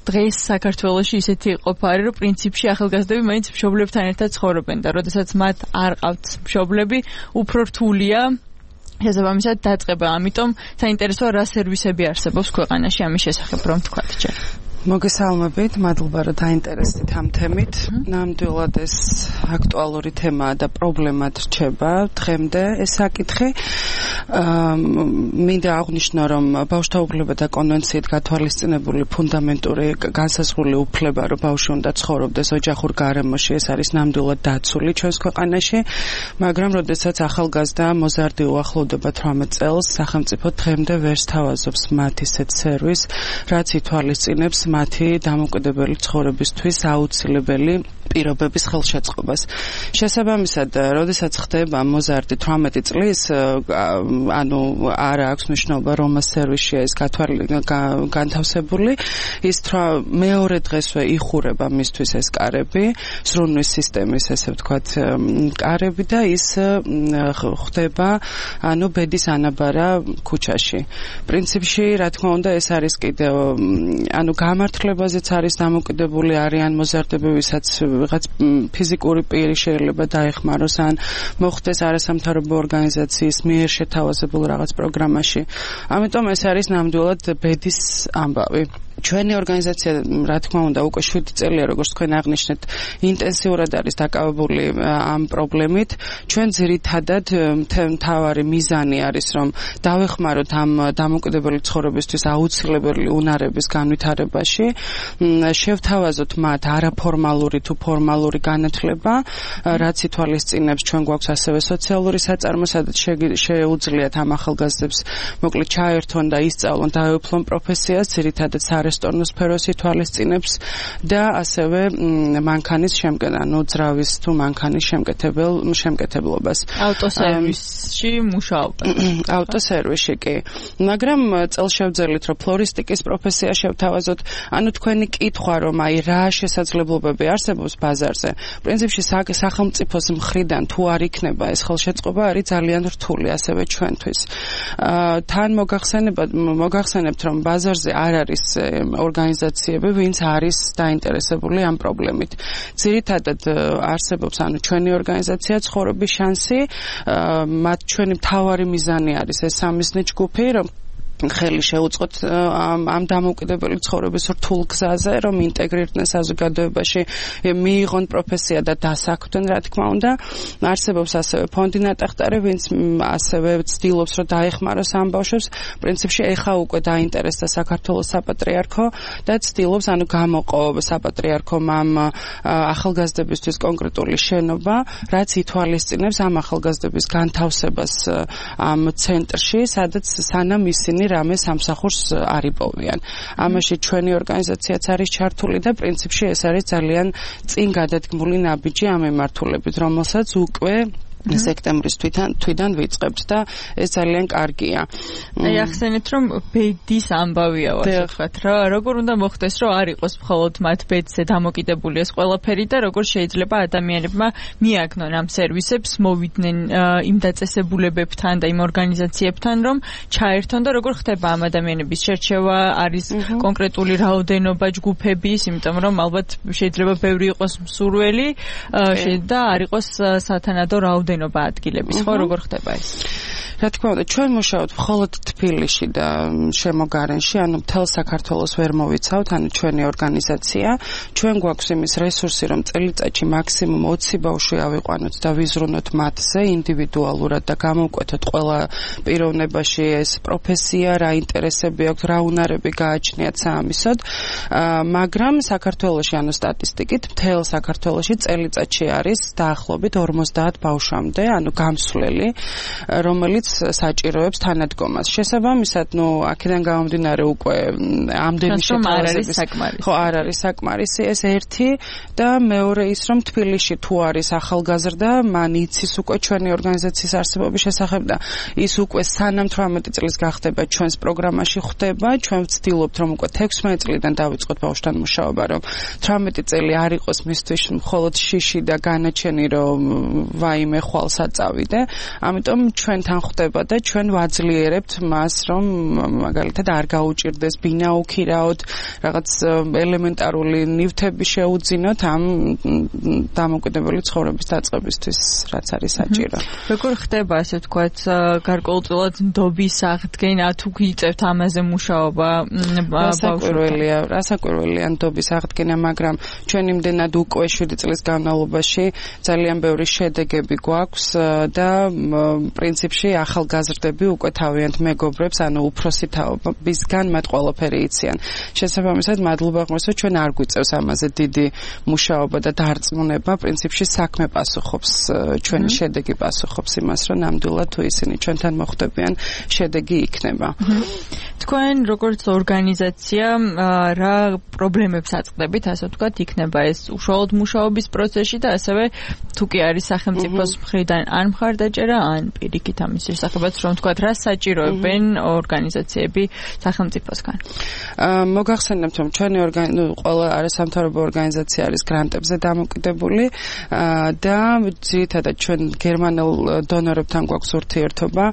დღეს საქართველოში ისეთი ყოფა არის, რომ პრინციპში ახალგაზრდები მაინც მშობლებთან ერთად ცხოვრობენ და როდესაც მათ არ ყავთ მშობლები, უფრო რთულია შესაბამისად დაწყება. ამიტომ საინტერესოა რა სერვისები არსებობს ქვეყანაში ამის შესახებ რომ თქვათ ჯერ. მოგესალმებით, მადლობა რომ დაინტერესდით ამ თემით. ნამდვილად ეს აქტუალური თემაა და პრობლემად რჩება დღემდე ეს საკითხი. მინდა აღვნიშნო, რომ ბავშვთა უფლებათა კონვენციით გათვალისწინებული ფუნდამენტური განსაზღვრული უფლება, რომ ბავშვი უნდა ცხოვრობდეს ოჯახურ გარემოში, ეს არის ნამდვილად დაცული ჩვენს ქვეყანაში, მაგრამ როდესაც ახალგაზრდა მოზარდი უახლოვდება თვრამეტ წელს, სახელმწიფო დღემდე ვერ სთავაზობს მათ ისეთ სერვისს, რაც ითვალისწინებს მათი დამოუკიდებელი ცხოვრებისთვის აუცილებელი პირობების ხელშეწყობას. შესაბამისად, როდესაც ხდება მოზარდი თვრამეტი წლის, ანუ არ აქვს მნიშვნელობა რომ სერვისშია ეს განთავსებული, ის მეორე დღესვე იხურება მისთვის ეს კარები, ზრუნვის სისტემის ესე ვთქვათ კარები და ის ხდება ანუ ბედის ანაბარა ქუჩაში. პრინციპში, რა თქმა უნდა, ეს არის კიდევ ანუ გამართლებაზეც არის დამოკიდებული არიან მოზარდები, ვისაც ვიღაც ფიზიკური პირი შეიძლება დაეხმაროს ან მოხდეს არასამთავრობო ორგანიზაციის მიერ შეთავაზებულ რაღაც პროგრამაში. ამიტომ ეს არის ნამდვილად ბედის ამბავი. ჩვენი ორგანიზაცია, რა თქმა უნდა, უკვე შვიდი წელია, როგორც თქვენ აღნიშნეთ, ინტენსიურად არის დაკავებული ამ პრობლემით. ჩვენ ძირითადად მთავარი მიზანი არის, რომ დავეხმაროთ ამ დამოუკიდებელი ცხოვრებისთვის აუცილებელი უნარების განვითარებაში, შევთავაზოთ მათ არაფორმალური თუ ფორმალური განათლება, რაც ითვალისწინებს ჩვენ გვაქვს ასევე სოციალური საწარმო, სადაც შეუძლიათ ამ ახალგაზრდებს მოკლედ ჩაერთონ და ისწავლონ, დაეუფლონ პროფესიას, ძირითადად არესტორნოს სფეროს ითვალისწინებს და ასევე მანქანის შემკეთ, ანუ ძრავის თუ მანქანის შემკეთებელ შემკეთებლობას. ავტოსერვისში მუშაობა. ავტოსერვისში კი. მაგრამ წელშევძელით რომ ფლორისტიკის პროფესია შევთავაზოთ, ანუ თქვენი კითხვა რომ აი რა შესაძლებლობები არსებობს ბაზარზე. პრინციპში სახელმწიფოს მხრიდან თუ არ იქნება ეს ხელშეწყობა არის ძალიან რთული ასევე ჩვენთვის. თან მოგახსენებათ მოგახსენებთ რომ ბაზარზე არ არის ორგანიზაციები, ვინც არის დაინტერესებული ამ პრობლემით. ძირითადად არსებობს ანუ ჩვენი ორგანიზაცია ცხოვრების შანსი, მათ ჩვენი მთავარი მიზანი არის ეს სამიზნე ჯგუფი, რომ ხელი შეუწყოთ ამ დამოუკიდებელი ცხოვრების რთულ გზაზე, რომ ინტეგრირდნენ საზოგადოებაში, მიიღონ პროფესია და დასაქმდნენ, რა თქმა უნდა. არსებობს ასევე ფონდი ნატახტარი, ვინც ასევე ცდილობს, რომ დაეხმაროს ამ ბავშვებს. პრინციპში ეხა უკვე დაინტერესდა საქართველოს საპატრიარქო და ცდილობს, ანუ გამოყო საპატრიარქომ ამ ახალგაზრდებისთვის კონკრეტული შენობა, რაც ითვალისწინებს ამ ახალგაზრდების განთავსებას ამ ცენტრში, სადაც სანამ ისინი რამე სამსახურს არ იპოვიან. ამაში ჩვენი ორგანიზაციაც არის ჩართული და პრინციპში ეს არის ძალიან წინ გადადგმული ნაბიჯი ამ ემართულებით, რომელსაც უკვე სექტემბრის თვითონ თვიდან ვიწყებთ და ეს ძალიან კარგია. აი ახსენეთ რომ ბედის ამბავია ასე ვთქვათ რა, როგორ უნდა მოხდეს რომ არ იყოს მხოლოდ მათ ბედზე დამოკიდებული ეს ყველაფერი და როგორ შეიძლება ადამიანებმა მიაგნონ ამ სერვისებს, მოვიდნენ იმ დაწესებულებებთან და იმ ორგანიზაციებთან რომ ჩაერთონ და როგორ ხდება ამ ადამიანების შერჩევა, არის კონკრეტული რაოდენობა ჯგუფების, იმიტომ რომ ალბათ შეიძლება ბევრი იყოს მსურველი და არ იყოს სათანადო რაოდენობა ადგილების, ხო, როგორ ხდება ეს? რა თქმა უნდა, ჩვენ მუშაობთ მხოლოდ თბილისში და შემოგარენში, ანუ მთელ საქართველოს ვერ მოვიცავთ, ანუ ჩვენი ორგანიზაცია. ჩვენ გვაქვს იმის რესურსი, რომ წელიწადში მაქსიმუმ ოცი ბავშვი ავიყვანოთ და ვიზრუნოთ მათზე ინდივიდუალურად და გამოვკვეთოთ ყველა პიროვნებაში ეს პროფესია, რა ინტერესები აქვს, რა უნარები გააჩნიათ საამისოდ. მაგრამ საქართველოში, ანუ სტატისტიკით, მთელ საქართველოში წელიწადში არის დაახლოებით ორმოცდაათ ბავშვამდე, ანუ გამსვლელი, რომელიც საჭიროებს თანადგომას. შესაბამისად, ნუ აქედან გამომდინარე უკვე ამდენი შეთავაზების ხო არ არის საკმარისი ეს ერთი და მეორე ის რომ თბილისში თუ არის ახალგაზრდა, მან იცის უკვე ჩვენი ორგანიზაციის არსებობის შესახებ და ის უკვე სანამ თვრამეტი წლის გახდება ჩვენს პროგრამაში ხვდება, ჩვენ ვცდილობთ რომ უკვე თექვსმეტი წლიდან დავიწყოთ ბავშვთან მუშაობა, რომ თვრამეტი წელი არ იყოს მისთვის მხოლოდ შიში და განაჩენი რომ ვაიმე ხვალ საწავიდე. ამიტომ ჩვენთან ხდება და ჩვენ ვაძლიერებთ მას, რომ მაგალითად არ გაუჭირდეს ბინა უქირაოდ, რაღაც ელემენტარული ნივთები შეუძინოთ ამ დამოუკიდებელი ცხოვრების დაწყებისთვის, რაც არის საჭირო. როგორ ხდება, ასე ვთქვათ, გარკვეულწილად ნდობის აღდგენა, თუ გიწევთ ამაზე მუშაობა ბავშვებია, რასაკვირველია ნდობის აღდგენა, მაგრამ ჩვენ იმდენად უკვე შვიდი წლის განმავლობაში ძალიან ბევრი შედეგები გვაქვს და პრინციპში ახალგაზრდები უკვე თავიანთ მეგობრებს, ანუ უფროსი თაობისგან მათ ყველაფერი იციან. შესაბამისად, მადლობა ღმერთს, ჩვენ არ გვიწევს ამაზე დიდი მუშაობა და დარწმუნება, პრინციპში საქმე პასუხობს, ჩვენი შედეგი პასუხობს იმას, რომ ნამდვილად თუ ისინი ჩვენთან მოხვდებიან, შედეგი იქნება. თქვენ როგორც ორგანიზაცია რა პრობლემებს აწყდებით, ასე ვთქვათ, იქნება ეს უშუალოდ მუშაობის პროცესში და ასევე თუ კი არის სახელმწიფოს მხრიდან ან მხარდაჭერა, ან პირიქით ამის შესახებაც რომ ვთქვათ, რა საჭიროებენ ორგანიზაციები სახელმწიფოსგან. მოგახსენებთ, რომ ჩვენი ყველა არასამთავრობო ორგანიზაცია არის გრანტებზე დამოკიდებული და ძირითადად ჩვენ გერმანელ დონორებთან გვაქვს ურთიერთობა.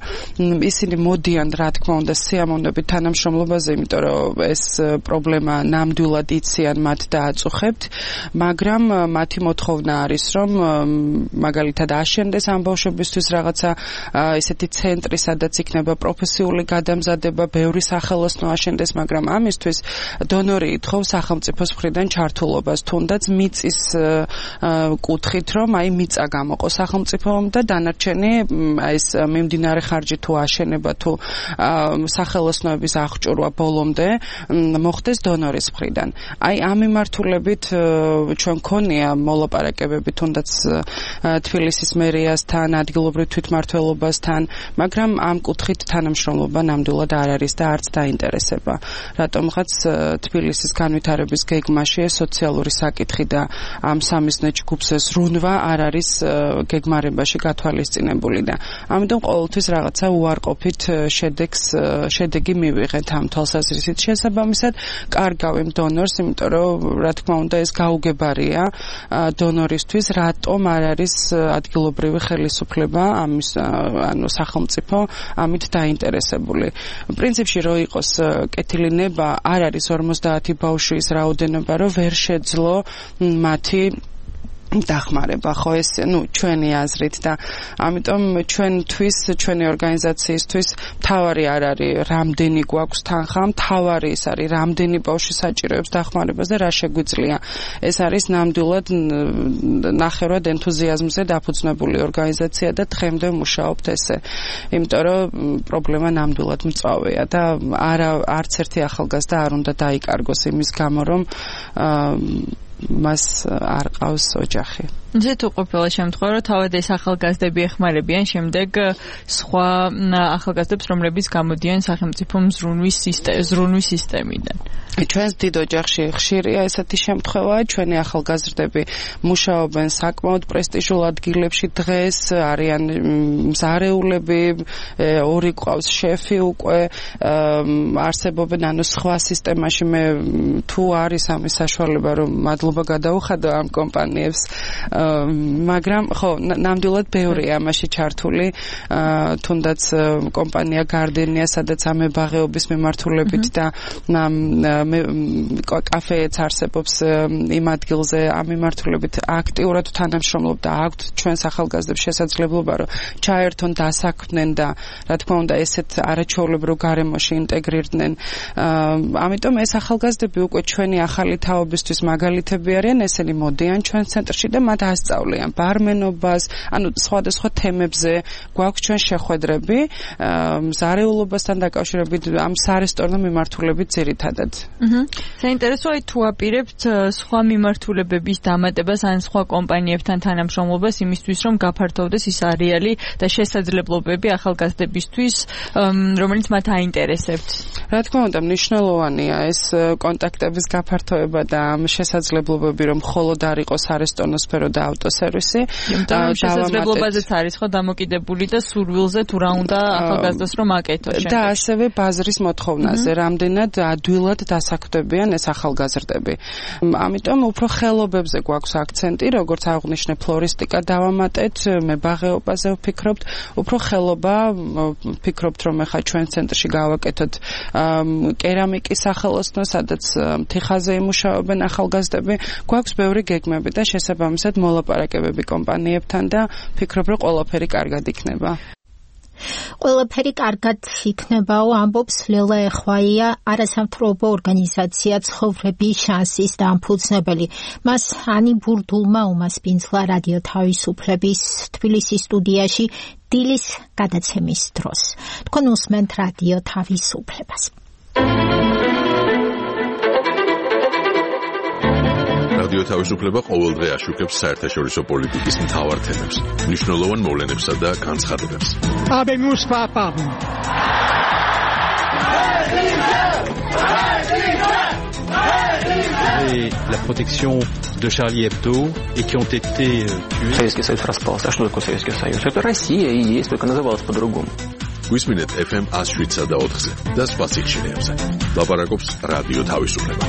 ისინი მოდიან, რა თქმა უნდა, სიამოვნებით თანამშრომლობაზე, იმიტომ რომ ეს პრობლემა ნამდვილად იციან მათ და აწუხებთ, მაგრამ მათი მოთხოვნა არის, რომ მაგალითად აშენდეს ამ ბავშვებისთვის რაღაცა ესეთი ცენტრი, სადაც იქნება პროფესიული გადამზადება, ბევრი სახელოსნო აშენდეს, მაგრამ ამისთვის დონორი ითხოვს სახელმწიფოს მხრიდან ჩართულობას, თუნდაც მიწის კუთხით, რომ აი მიწა გამოყო სახელმწიფომ და დანარჩენი ეს მიმდინარე ხარჯი თუ აშენება თუ სახელოსნოების აღჭურვა ბოლომდე მოხდეს დონორის მხრიდან. აი ამ მიმართულებით ჩვენ გქონია მოლაპარაკებები თუნდაც თბილისის მერიასთან, ადგილობრივ თვითმმართველობასთან მაგრამ ამ კუთხით თანამშრომლობა ნამდვილად არ არის და არც დაინტერესება. რატომღაც თბილისის განვითარების გეგმაში სოციალური საკითხი და ამ სამიზნე ჯგუფს ზრუნვა არ არის გეგმარებაში გათვალისწინებული და ამიტომ ყოველთვის რაღაცა უარყოფით შედეგს შედეგი მივიღეთ ამ თვალსაზრისით. შესაბამისად, კარგავ იმ დონორს, იმიტომ რომ რა თქმა უნდა ეს გაუგებარია დონორისთვის, რატომ არ არის ადგილობრივი ხელისუფლება ამის ანუ სახელმწიფო ამით დაინტერესებული. პრინციპში რო იყოს კეთილი ნება, არ არის ორმოცდაათი ბავშვის რაოდენობა, რომ ვერ შეძლო მათი დახმარება, ხო ეს ნუ ჩვენი აზრით და ამიტომ ჩვენთვის, ჩვენი ორგანიზაციისთვის მთავარი არ არის რამდენი გვაქვს თანხა, მთავარი ის არის რამდენი ბავშვი საჭიროებს დახმარებას და რა შეგვიძლია. ეს არის ნამდვილად ნახევრად ენთუზიაზმზე დაფუძნებული ორგანიზაცია და დღემდე მუშაობთ ესე. იმიტომ რომ პრობლემა ნამდვილად მწვავეა და არა არც ერთი ახალგაზრდა არ უნდა დაიკარგოს იმის გამო, რომ მას არ ყავს ოჯახი. ისე თუ ყოფილა შემთხვევა, რომ თავად ეს ახალგაზრდები ეხმარებიან შემდეგ სხვა ახალგაზრდებს, რომლებიც გამოდიან სახელმწიფო მზრუნვის ზრუნვის სისტემიდან. ჩვენს დიდ ოჯახში ხშირია ესეთი შემთხვევა, ჩვენი ახალგაზრდები მუშაობენ საკმაოდ პრესტიჟულ ადგილებში დღეს, არიან მზარეულები, ორი ყავს შეფი უკვე, არსებობენ ანუ სხვა სისტემაში მე თუ არის ამის საშუალება, რომ მადლობა გადაუხადო ამ კომპანიებს, მაგრამ ხო ნამდვილად ბევრია ამაში ჩართული, თუნდაც კომპანია გარდენია, სადაც ამებაღეობის მიმართულებით და კაფეც არსებობს იმ ადგილზე ამ მიმართულებით აქტიურად თანამშრომლობდა, აქვთ ჩვენს ახალგაზრდებს შესაძლებლობა, რომ ჩაერთონ, დასაქმდნენ და რა თქმა უნდა ესეთ არაჩვეულებრივ გარემოში ინტეგრირდნენ. ამიტომ ეს ახალგაზრდები უკვე ჩვენი ახალი თაობისთვის მაგალითები არიან, ესენი მოდიან ჩვენ ცენტრში და მათ ასწავლიან ბარმენობას, ანუ სხვადასხვა თემებზე გვაქვს ჩვენ შეხვედრები, მზარეულობასთან დაკავშირებით ამ სარესტორნო მიმართულებით ძირითადად. საინტერესოა თუ აპირებთ სხვა მიმართულებების დამატებას ან სხვა კომპანიებთან თანამშრომლობას იმისთვის, რომ გაფართოვდეს ის არეალი და შესაძლებლობები ახალგაზრდებისთვის, რომელიც მათ აინტერესებთ. რა თქმა უნდა, მნიშვნელოვანია ეს კონტაქტების გაფართოება და ამ შესაძლებლობები, რომ მხოლოდ არ იყოს არესტორნო სფერო და ავტოსერვისი. იმიტომ რომ შესაძლებლობაზეც არის ხო დამოკიდებული და სურვილზე თუ რა უნდა ახალგაზრდას რომ აკეთოს შემდეგ. და ასევე ბაზრის მოთხოვნაზე, რამდენად ადვილად დასაქმდებიან ეს ახალგაზრდები. ამიტომ უფრო ხელობებზე გვაქვს აქცენტი, როგორც აღვნიშნე ფლორისტიკა დავამატეთ, მებაღეობაზე ვფიქრობთ, უფრო ხელობა ვფიქრობთ, რომ ახლა ჩვენ ცენტრში გავაკეთოთ კერამიკის სახელოსნო, სადაც თიხაზე იმუშაობენ ახალგაზრდები, გვაქვს ბევრი გეგმები და შესაბამისად მოლაპარაკებები კომპანიებთან და ფიქრობ, რომ ყველაფერი კარგად იქნება. ყველაფერი კარგად იქნებაო, ამბობს ლელა ეხვაია, არასამთავრობო ორგანიზაცია ცხოვრების შანსის დამფუძნებელი. მას ანი ბურდულმა უმასპინძლა რადიო თავისუფლების თბილისის სტუდიაში დილის გადაცემის დროს. თქვენ უსმენთ რადიო თავისუფლებას. რადიო თავისუფლება ყოველდღე აშუქებს საერთაშორისო პოლიტიკის მთავარ თემებს, მნიშვნელოვან მოვლენებსა და განცხადებებს. Habemus papam. Et la protection de Charlie Hebdo et qui ont été tués. Советский Союз распался. А что такое Советский Союз? Это Россия и есть, только называлась по-другому. გვისმინეთ эф эм one oh seven და ოთხზე და სხვა სიხშირეებზე. ლაპარაკობს რადიო თავისუფლება.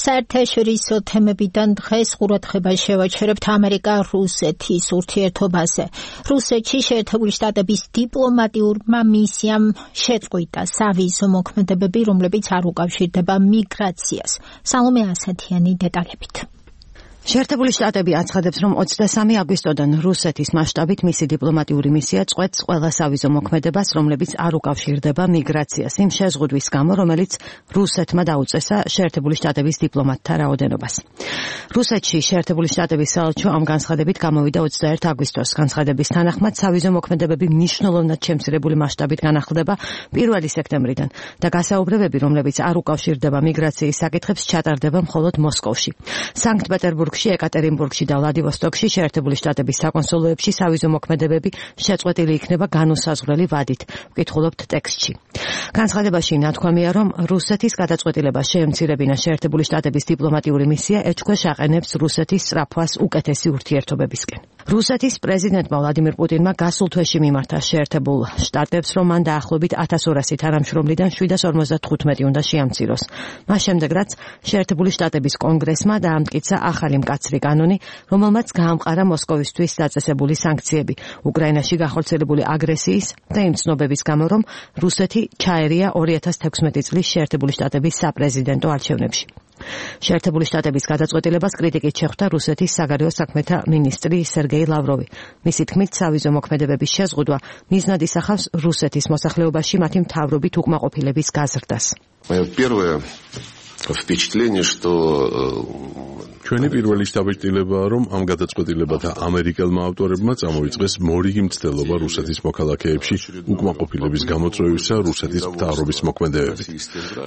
საერთაშორისო თემებიდან დღეს ყურადღებას შევაჩერებთ ამერიკა-რუსეთის ურთიერთობაზე. რუსეთში შეერთებული შტატების დიპლომატიურმა მისიამ შეწყვიტა სავიზო მოქმედებები, რომლებიც არ უკავშირდება მიგრაციას. სალომე ასათიანი დეტალებით. შეერთებული შტატები აცხადებს, რომ ოცდასამი აგვისტოდან რუსეთის მასშტაბით მისი დიპლომატიური მისია წყვეტს ყველა სავიზო მოქმედებას, რომლებიც არ უკავშირდება მიგრაციას, იმ შეზღუდვის გამო, რომელიც რუსეთმა დაუწესა შეერთებული შტატების დიპლომატთა რაოდენობას. რუსეთში შეერთებული შტატების საელჩო ამ განცხადებით გამოვიდა ოცდაერთი აგვისტოს. განცხადების თანახმად, სავიზო მოქმედებები მნიშვნელოვნად შემცირებული მასშტაბით განახლდება პირველი სექტემბრიდან და გასაუბრებები, რომლებიც არ უკავშირდება მიგრაციის საკითხებს, ჩატარდება მხოლოდ მოსკოვში. სანქტ-პეტერბურგ სანქტ-პეტერბურგში, ეკატერინბურგში და ვლადივოსტოკში შეერთებული შტატების საკონსულოებში სავიზო მოქმედებები შეწყვეტილი იქნება განუსაზღვრელი ვადით, ვკითხულობთ ტექსტში. განცხადებაში ნათქვამია, რომ რუსეთის გადაწყვეტილებას შეემცირებინა შეერთებული შტატების დიპლომატიური მისია ეჭქვეშ აყენებს რუსეთის სწრაფვას უკეთესი ურთიერთობებისკენ. რუსეთის პრეზიდენტმა ვლადიმირ პუტინმა გასულ თვეში მიმართა შეერთებულ შტატებს, რომ მან დაახლოებით ათას ორასი თანამშრომლიდან შვიდას ორმოცდათხუთმეტი უნდა შეამციროს. მას შემდეგ, რაც შეერთებული შტატების კონგრესმა დაამტკიცა ახალი მკაცრი კანონი, რომელმაც გაამყარა მოსკოვისთვის დაწესებული სანქციები უკრაინაში განხორციელებული აგრესიის და იმ ცნობების გამო, რომ რუსეთი ჩაერია ორი ათას თექვსმეტი წლის შეერთებული შტატების საპრეზიდენტო არჩევნებში. შეერთებული შტატების გადაწყვეტილებას კრიტიკით შეხვდა რუსეთის საგარეო საქმეთა მინისტრი სერგეი ლავროვი. მისი თქმით, სავიზო მოქმედებების შეზღუდვა მიზნად ისახავს რუსეთის მოსახლეობაში მათი მთავრობით უკმაყოფილების გაზრდას. Первое впечатление, что ჩვენი პირველი შთაბეჭდილებაა, რომ ამ გადაწყვეტილებათა ამერიკელმა ავტორებმა წამოიწყეს მორიგი მცდელობა რუსეთის მოქალაქეებში უკმაყოფილების გამოწვევისა რუსეთის მთავრობის მოქმედებებით.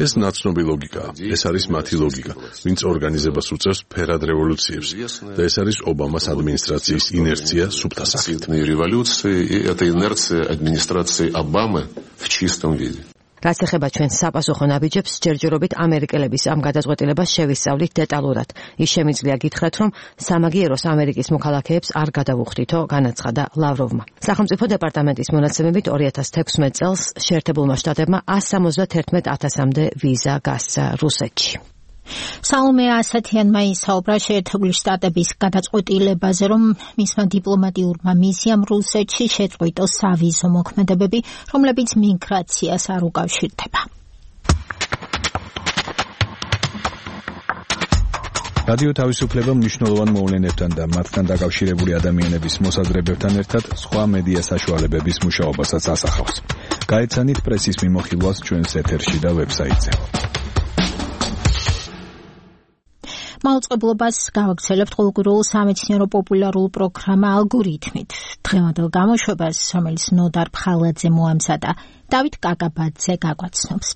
ეს ნაცნობი ლოგიკაა, ეს არის მათი ლოგიკა, ვინც ორგანიზებას უწევს ფერად რევოლუციებს და ეს არის ობამას ადმინისტრაციის ინერცია სუფთა სახით. революции, и это инерция администрации Обамы в чистом виде. რაც ეხება ჩვენ საპასუხო ნაბიჯებს, ჯერჯერობით ამერიკელების ამ გადაწყვეტილებას შევისწავლით დეტალურად. ის შემიძლია გითხრათ, რომ სამაგიეროს ამერიკის მოქალაქეებს არ გადავუხდითო, განაცხადა ლავროვმა. სახელმწიფო დეპარტამენტის მონაცემებით ორი ათას თექვსმეტ წელს შეერთებულმა შტატებმა ასი სამოცდათერთმეტ ათასამდე ვიზა გასცა რუსეთში. საომე ასათიანმა ისაუბრა შეერთებული შტატების გადაწყვეტილებაზე, რომ მისმა დიპლომატიურმა მისიამ რუსეთში შეწყვიტოს სავიზო მოქმედებები, რომლებიც მიგრაციას არ უკავშირდება. რადიო თავისუფლება მნიშვნელოვან მოვლენებთან და მათთან დაკავშირებული ადამიანების მოსაზრებებთან ერთად სხვა მედია საშუალებების მუშაობასაც ასახავს. გაეცანით პრესის მიმოხილვას ჩვენს ეთერში და ვებსაიტზე. მაუწყებლობას გავაგრძელებთ ყოველკვირეულ სამეცნიერო პოპულარულ პროგრამა ალგორითმით. დღევანდელ გამოშვებას, რომელიც ნოდარ ფხალაძე მოამზადა, დავით კაკაბაძე გაგვაცნობს.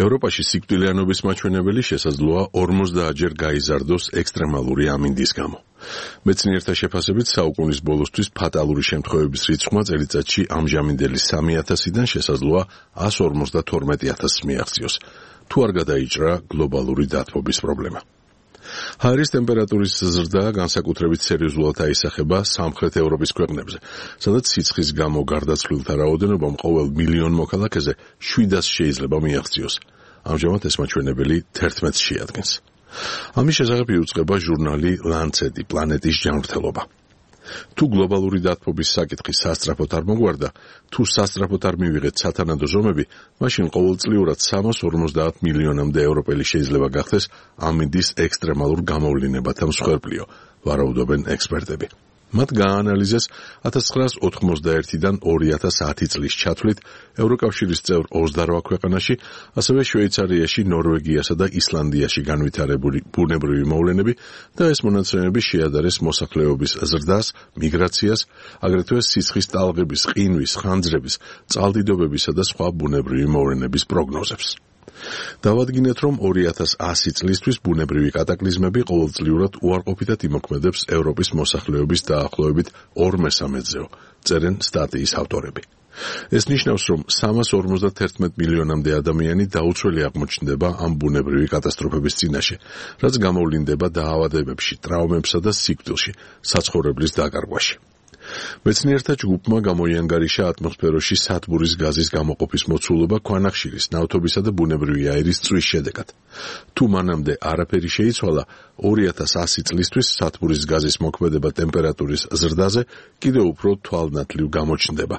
ევროპაში სიკვდილიანობის მაჩვენებელი შესაძლოა ორმოცდაათჯერ გაიზარდოს ექსტრემალური ამინდის გამო. მეცნიერთა შეფასებით საუკუნის ბოლოსთვის ფატალური შემთხვევების რიცხვმა წელიწადში ამჟამინდელი სამი ათასიდან შესაძლოა ას ორმოცდათორმეტი ათასს მიაღწიოს, თუ არ გადაიჭრა გლობალური დათბობის პრობლემა. ჰაერის ტემპერატურის ზრდა განსაკუთრებით სერიოზულად აისახება სამხრეთ ევროპის ქვეყნებზე, სადაც სიცხის გამო გარდაცვლილთა რაოდენობამ ყოველ მილიონ მოქალაქეზე შვიდას შეიძლება მიაღწიოს. ამჟამად ეს მაჩვენებელი თერთმეტს შეადგენს. ამის შესახებ იუწყება ჟურნალი ლანცეტი პლანეტის ჯანმრთელობა. თუ გლობალური დათბობის საკითხი სასწრაფოდ არ მოგვარდა, თუ სასწრაფოდ არ მივიღეთ სათანადო ზომები, მაშინ ყოველწლიურად სამას ორმოცდაათ მილიონამდე ევროპელი შეიძლება გახდეს ამინდის ექსტრემალურ გამოვლინებათა მსხვერპლიო, ვარაუდობენ ექსპერტები. მათ გააანალიზეს ათას ცხრაას ოთხმოცდაერთიდან ორი ათას ათი წლის ჩათვლით ევროკავშირის წევრ ოცდარვა ქვეყანაში, ასევე შვეიცარიაში, ნორვეგიასა და ისლანდიაში განვითარებული ბუნებრივი მოვლენები და ეს მონაცემები შეადარეს მოსახლეობის ზრდას, მიგრაციას, აგრეთვე სიცხის ტალღების, ყინვის, ხანძრების, წყალდიდობებისა და სხვა ბუნებრივი მოვლენების პროგნოზებს. დავადგინეთ, რომ ორი ათას ასი წლისთვის ბუნებრივი კატაკლიზმები ყოველწლიურად უარყოფითად იმოქმედებს ევროპის მოსახლეობის დაახლოებით ორ მესამედზეო, წერენ სტატიის ავტორები. ეს ნიშნავს, რომ სამას ორმოცდათერთმეტ მილიონამდე ადამიანი დაუცველი აღმოჩნდება ამ ბუნებრივი კატასტროფების წინაშე, რაც გამოვლინდება დაავადებებში, ტრავმებსა და სიკვდილში, საცხოვრებლის დაკარგვაში. მეცნიერთა ჯგუფმა გამოიანგარიშა ატმოსფეროში სათბურის გაზის გამოყოფის მოცულობა ქვანახშირის, ნავთობისა და ბუნებრივი აირის წვის შედეგად. თუ მანამდე არაფერი შეიცვალა, ორი ათას ასი წლისთვის სათბურის გაზის მოქმედება ტემპერატურის ზრდაზე კიდევ უფრო თვალნათლივ გამოჩნდება.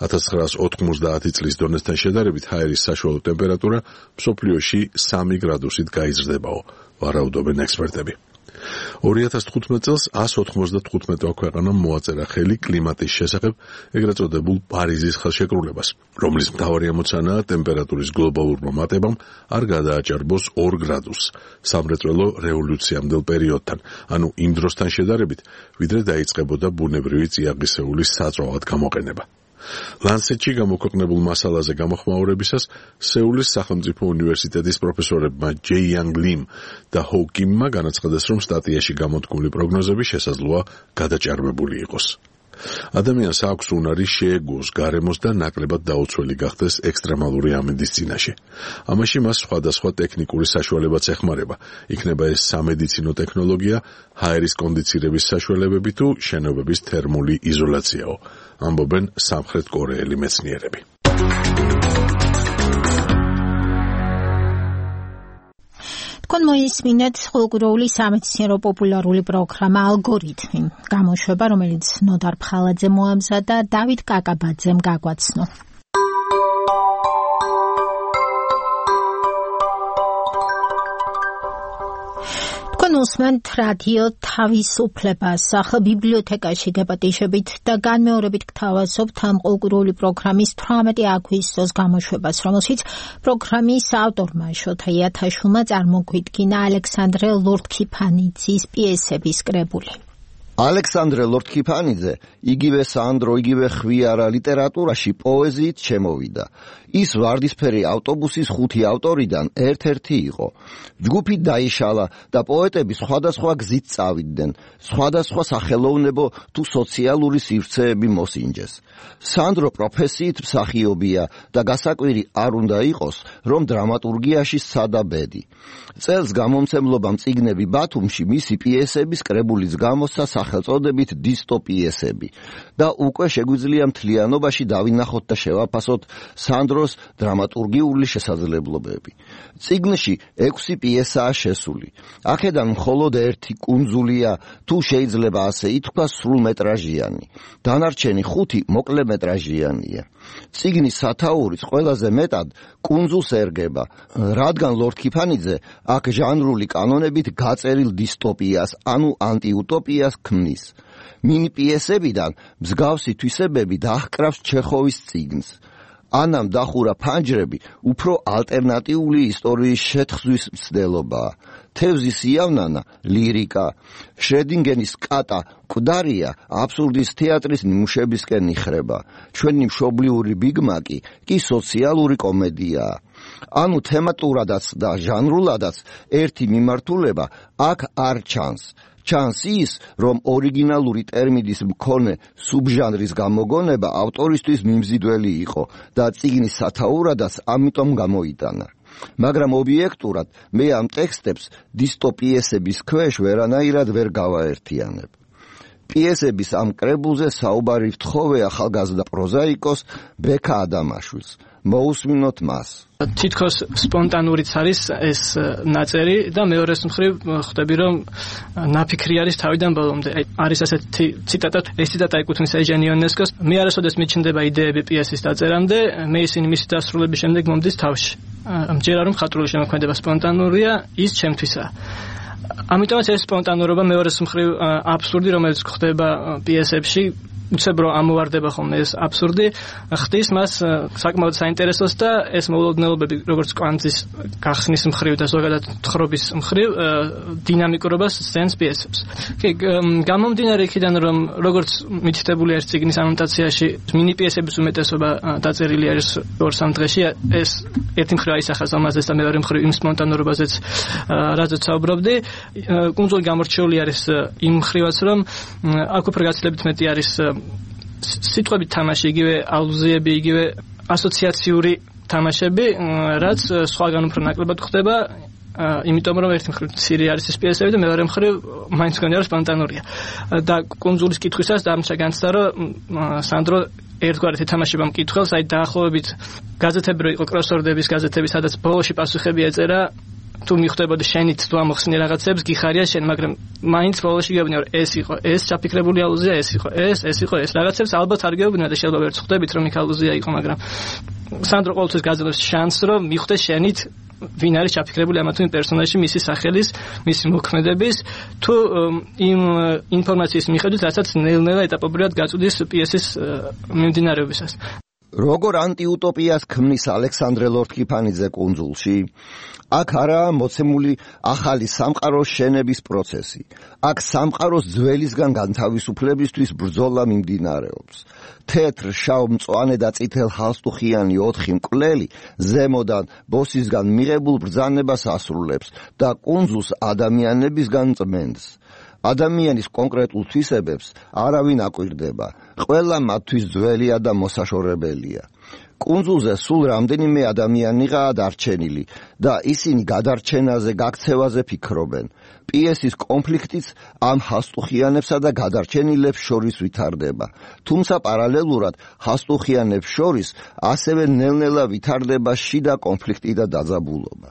ათას ცხრაას ოთხმოცდაათი წლის დონესთან შედარებით ჰაერის საშუალო ტემპერატურა მსოფლიოში სამი გრადუსით გაიზრდებაო, ვარაუდობენ ექსპერტები. ორი ათას თხუთმეტ წელს ას ოთხმოცდათხუთმეტმა ქვეყანამ მოაწერა ხელი კლიმატის შესახებ ეგრეთ წოდებულ პარიზის ხელშეკრულებას, რომლის მთავარი ამოცანაა ტემპერატურის გლობალურმა მატებამ არ გადააჭარბოს ორ გრადუსს სამრეწველო რევოლუციამდელ პერიოდთან, ანუ იმ დროსთან შედარებით, ვიდრე დაიწყებოდა ბუნებრივი წიაღისეულის საწვავად გამოყენება. ლანცეტში გამოქვეყნებულ მასალაზე გამოხმაურებისას სეულის სახელმწიფო უნივერსიტეტის პროფესორებმა ჯეი იანგ ლიმ და ჰო კიმმა განაცხადეს, რომ სტატიაში გამოთქმული პროგნოზები შესაძლოა გადაჭარბებული იყოს. ადამიანს აქვს უნარი შეეგუოს გარემოს და ნაკლებად დაუცველი გახდეს ექსტრემალური ამინდის წინაშე. ამაში მას სხვადასხვა ტექნიკური საშუალებაც ეხმარება, იქნება ეს სამედიცინო ტექნოლოგია, ჰაერის კონდიცირების საშუალებები თუ შენობების თერმული იზოლაციაო, ამბობენ სამხრეთ კორეელი მეცნიერები. თქვენ მოისმინეთ ყოველკვირეული სამეცნიერო პოპულარული პროგრამა ალგორითმი, გამოშვება, რომელიც ნოდარ ფხალაძე მოამზადა და დავით კაკაბაძემ გაგვაცნო. თქვენ უსმენთ რადიო თავისუფლებას, ახლა ბიბლიოთეკაში გეპატიჟებით და განმეორებით გთავაზობთ ამ ყოველკვირეული პროგრამის თვრამეტი აგვისტოს გამოშვებას, რომელშიც პროგრამის ავტორმა შოთა იათაშვილმა წარმოგვიდგინა ალექსანდრე ლორდქიფანიძის პიესების კრებული. ალექსანდრე ლორდქიფანიძე იგივე სანდრო, იგივე ხვიარა ლიტერატურაში პოეზიით შემოვიდა. ის ვარდისფერი ავტობუსის ხუთი ავტორიდან ერთ-ერთი იყო. ჯგუფი დაიშალა და პოეტები სხვადასხვა გზით წავიდნენ, სხვადასხვა სახელოვნებო თუ სოციალური სივრცეები მოსინჯეს. სანდრო პროფესიით მსახიობია და გასაკვირი არ უნდა იყოს, რომ დრამატურგიაში სადა ბედი. წელს გამომცემლობამ წიგნები ბათუმში მისი პიესების კრებულის გამოსცა სახელწოდებით დისტოპიესები და უკვე შეგვიძლია მთლიანობაში დავინახოთ და შევაფასოთ სანდროს დრამატურგიული შესაძლებლობები. წიგნში ექვსი პიესაა შესული. აქედან მხოლოდ ერთი კუნძულია, თუ შეიძლება ასე ითქვას, სრულმეტრაჟიანი. დანარჩენი ხუთი მოკლემეტრაჟიანია. წიგნის სათაურიც ყველაზე მეტად კუნძულს ერგება, რადგან ლორდქიფანიძე აქ ჟანრული კანონებით გაწერილ დისტოპიას, ანუ ანტიუტოპიას ქმნის. მინი პიესებიდან მსგავსი თვისებები დაჰკრავს ჩეხოვის წიგნს. ანამ დახურა ფანჯრები უფრო ალტერნატიული ისტორიის შეთხზვის მცდელობაა. თევზის იავნანა ლირიკა, შრედინგენის კატა მკვდარია აბსურდის თეატრის ნიმუშებისკენ იხრება. ჩვენი მშობლიური ბიგმაკი კი სოციალური კომედიაა. ანუ თემატურადაც და ჟანრულადაც ერთი მიმართულება აქ არ ჩანს. ჩანს ის, რომ ორიგინალური ტერმინის მქონე სუბჟანრის გამოგონება ავტორისთვის მიმზიდველი იყო და წიგნის სათაურადაც ამიტომ გამოიტანა. მაგრამ ობიექტურად მე ამ ტექსტებს დისტოპიესების ქვეშ ვერანაირად ვერ გავაერთიანებ. პიესების ამ კრებულზე საუბარი ვთხოვე ახალგაზრდა პროზაიკოს ბექა ადამაშვილს. მოусმინოთ მას. თითქოს სპონტანურიც არის ეს ნაწერი და მეორეს მხრივ ხვდები რომ ნაფიქრი არის თავიდან ბოლომდე. არის ასეთი ციტატა, ეს ციტატა ეკუთვნის ეჟენ იონესკოს, მე არასოდეს მიჩნდება იდეები პიესის დაწერამდე, მე ისინი მისი დასრულების შემდეგ მომდის თავში. მჯერა რომ ხატრული შემოქმედება სპონტანურია, ის ჩემთვისაა. ამიტომაც ეს სპონტანურობა მეორეს მხრივ აბსურდი, რომელიც ხდება პიესებში, უცებ რომ ამოვარდება ხოლმე ეს აბსურდი, ხდის მას საკმაოდ საინტერესოს და ეს მოულოდნელობები, როგორც კვანძის გახსნის მხრივ და ზოგადად თხრობის მხრივ დინამიკურობას სცენს პიესებს. კი, გამომდინარე იქიდან, რომ როგორც მითითებული არის წიგნის ანოტაციაში, მინი პიესების უმეტესობა დაწერილი არის ორ-სამ დღეში, ეს ერთი მხრივ აისახა ამაზეც და მეორე მხრივ იმ სპონტანურობაზეც, რაზეც საუბრობდი. კუნძული გამორჩეული არის იმ მხრივაც, რომ აქ უფრო გაცილებით მეტი არის სიტყვებით თამაში, იგივე ალუზიები, იგივე ასოციაციური თამაშები, რაც სხვაგან უფრო ნაკლებად ხდება, იმიტომ რომ ერთი მხრივ ცირე არის ეს პიესები და მეორე მხრივ მაინც გონია რომ სპონტანურია. და კუნძულის კითხვისას დამჩა განცდა, რომ სანდრო ერთგვარად ეთამაშება მკითხველს, აი დაახლოებით გაზეთები რო იყო კროსვორდების გაზეთები, სადაც ბოლოში პასუხები ეწერა, თუ მიხვდებოდი შენით თუ ამოხსნი რაღაცებს, გიხარია შენ, მაგრამ მაინც ბოლოში გეუბნია რომ ეს იყო, ეს ჩაფიქრებული ალუზია, ეს იყო, ეს, ეს იყო, ეს რაღაცებს ალბათ არ გეუბნია და შეიძლება ვერც ხვდებით რომ იქ ალუზია იყო, მაგრამ სანდრო ყოველთვის გაძლევს შანსს რომ მიხვდეს შენით ვინ არის ჩაფიქრებული ამა თუ იმ პერსონაჟში, მისი სახელის, მისი მოქმედების თუ იმ ინფორმაციის მიხედვით, რასაც ნელ-ნელა ეტაპობრივად გაწვდის პიესის მიმდინარეობისას. როგორ ანტიუტოპიას ქმნის ალექსანდრე ლორთქიფანიძე კუნძულში? აქ არაა მოცემული ახალი სამყაროს შენების პროცესი. აქ სამყაროს ძველისგან განთავისუფლებისთვის ბრძოლა მიმდინარეობს. თეთრ, შავ, მწვანე და წითელ ხალხტუხიანი ოთხი მკვლელი ზემოდან ბოსისგან მიღებულ ბრძანებას ასრულებს და კუნძულს ადამიანებისგან წმენდს. ადამიანის კონკრეტულ თვისებებს არავინ აკვირდება. ყველა მათთვის ძველია და მოსაშორებელია. კუნძულზე სულ რამდენიმე ადამიანიღაა დარჩენილი და ისინი გადარჩენაზე, გაქცევაზე ფიქრობენ. პიესის კონფლიქტიც ამ ხასტუხიანებსა და გადარჩენილებს შორის ვითარდება. თუმცა პარალელურად ხასტუხიანებს შორის ასევე ნელ-ნელა ვითარდება შიდა კონფლიქტი და დაძაბულობა.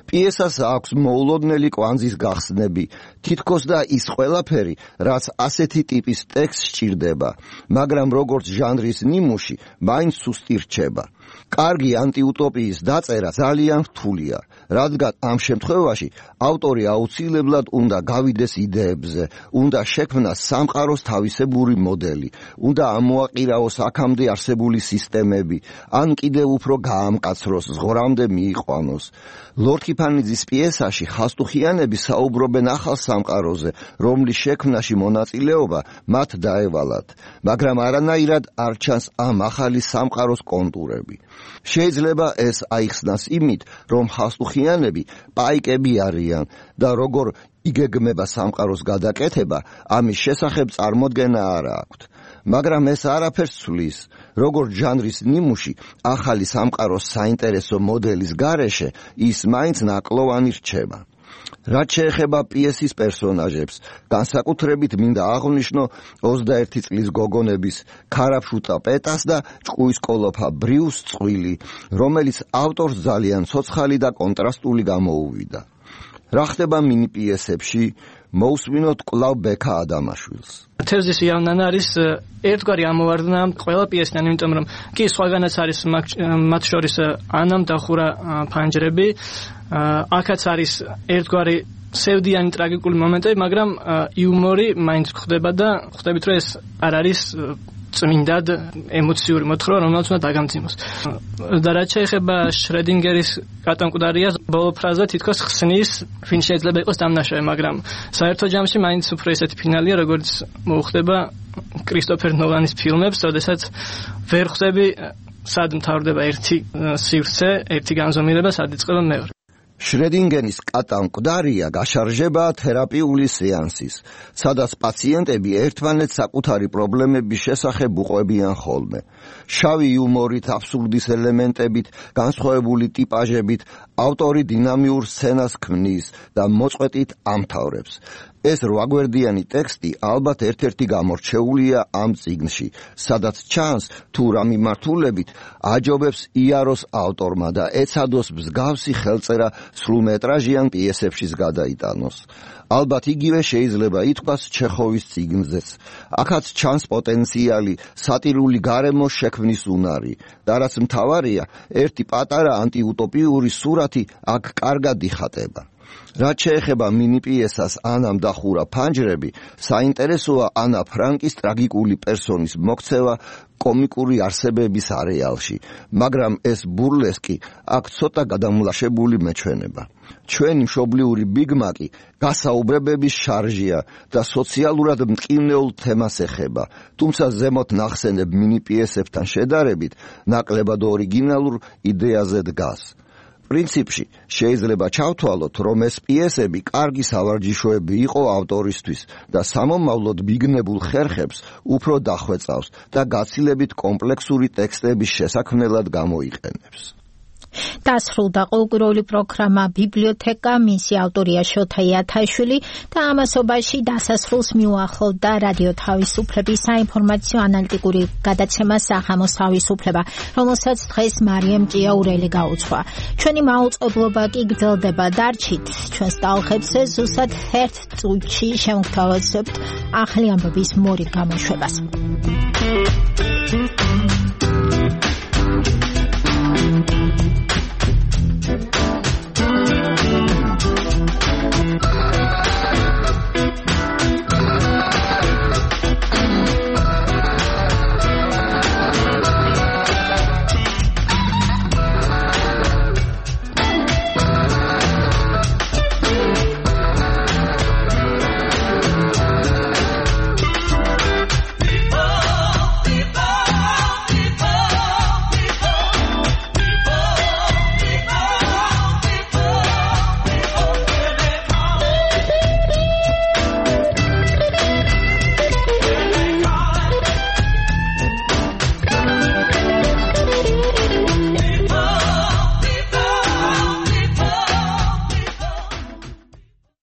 პიესას აქვს მოულოდნელი კვანძის გახსნები, თითქოს და ის ყველაფერი, რაც ასეთი ტიპის ტექსტს სჭირდება, მაგრამ როგორც ჟანრის ნიმუში, მაინც სუსტი რჩება. კარგი ანტიუტოპიის დაწერა ძალიან რთულია, რადგან ამ შემთხვევაში ავტორი აუცილებლად უნდა გავიდეს იდეებზე, უნდა შექმნას სამყაროს თავისებური მოდელი, უნდა ამოაყირაოს აქამდე არსებული სისტემები, ან კიდევ უფრო გაამკაცროს, ზღვრამდე მიიყვანოს. ლორთქიფანიძის პიესაში ხასტუხიანები საუბრობენ ახალ სამყაროზე, რომლის შექმნაში მონაწილეობა მათ დაევალათ, მაგრამ არანაირად არ ჩანს ამ ახალი სამყაროს კონტურები. შეიძლება ეს აიხსნას იმით, რომ ხასტუხიანები პაიკები არიან და როგორ იგეგმება სამყაროს გადაკეთება, ამის შესახებ წარმოდგენა არ აქვთ. მაგრამ ეს არაფერს ცვლის, როგორც ჟანრის ნიმუში ახალი სამყაროს საინტერესო მოდელის გარეშე, ის მაინც ნაკლოვანი რჩება. რაც შეეხება პიესის პერსონაჟებს, განსაკუთრებით მინდა აღვნიშნო ოცდაერთი წლის გოგონების ქარაფშუტა პეტას და ჭკუისკოლოფა ბრიუს წყვილი, რომელიც ავტორს ძალიან ცოცხალი და კონტრასტული გამოუვიდა. რა ხდება მინი პიესებში? მოусმინოთ კვლავ ბექა ადამაშვილს. თევზის იავნანა არის ერთგვარი ამოვარდნა ყველა პიესიდან, იმიტომ რომ კი სხვაგანაც არის მათ შორის ანამ დახურა ფანჯრები, აქაც არის ერთგვარი სევდიანი ტრაგიკული მომენტები, მაგრამ იუმორი მაინც ხდება და ხვდებით რომ ეს არ არის წმინდად ემოციური მოთხრობა, რომელიც უნდა დაგამძიმოს. და რაც შეეხება შრედინგერის კატანკვდარიას, ბოლო ფრაზა თითქოს ხსნის, ვინ შეიძლება იყოს დამნაშავე, მაგრამ საერთო ჯამში მაინც უფრო ესეთი ფინალია, როგორც მოუხდება კრისტოფერ ნოლანის ფილმებს, როდესაც ვერ ხვდები სად მთავრდება ერთი სივრცე, ერთი განზომილება, სად იწყება მეორე. შრედინგერის კატანკვდარია გაშარჟება თერაპიული სეანსის, სადაც პაციენტები ერთმანეთს საკუთარი პრობლემების შესახებ უყვებიან ხოლმე. შავი იუმორით, აბსურდის ელემენტებით, განსხვავებული ტიპაჟებით ავტორი დინამიურ სცენას ქმნის და მოწყვეტით ამთავრებს. ეს რვაგვერდიანი ტექსტი ალბათ ერთ-ერთი გამორჩეულია ამ წიგნში, სადაც ჩანს თუ რა მიმართულებით აჯობებს იაროს ავტორმა და ეცადოს მსგავსი ხელწერა სრულმეტრაჟიან პიესებშიც გადაიტანოს. ალბათ იგივე შეიძლება ითქვას ჩეხოვის წიგნზეც. აქაც ჩანს პოტენციალი სატირული გარემოს შექმნის უნარი და რაც მთავარია, ერთი პატარა ანტიუტოპიური სურათი აქ კარგად იხატება. რაც შეეხება მინი პიესას ანამ დახურა ფანჯრები, საინტერესოა ანა ფრანკის ტრაგიკული პერსონის მოქცევა კომიკური არსებების არეალში, მაგრამ ეს ბურლესკი აქ ცოტა გადამლაშებული მეჩვენება. ჩვენი მშობლიური ბიგმაკი გასაუბრებების შარჟია და სოციალურად მტკივნეულ თემას ეხება, თუმცა ზემოთ ნახსენებ მინი პიესებთან შედარებით ნაკლებად ორიგინალურ იდეაზე დგას. პრინციპში შეიძლება ჩავთვალოთ, რომ ეს პიესები კარგი სავარჯიშოები იყო ავტორისთვის და სამომავლოდ მიგნებულ ხერხებს უფრო დახვეწავს და გაცილებით კომპლექსური ტექსტების შესაქმნელად გამოიყენებს. დასრულდა ყოველკვირეული პროგრამა ბიბლიოთეკა, მისი ავტორია შოთა იათაშვილი და ამასობაში დასასრულს მიუახლოვდა რადიო თავისუფლების საინფორმაციო ანალიტიკური გადაცემა სახამოს თავისუფლება, რომელსაც დღეს მარიამ ჭიაურელი გაუძღვა. ჩვენი მაუწყებლობა კი გრძელდება, დარჩით ჩვენს ტალღებზე, ზუსტად ერთ წუთში შევგთავაზებთ ახალი ამბების მორიგ გამოშვებას.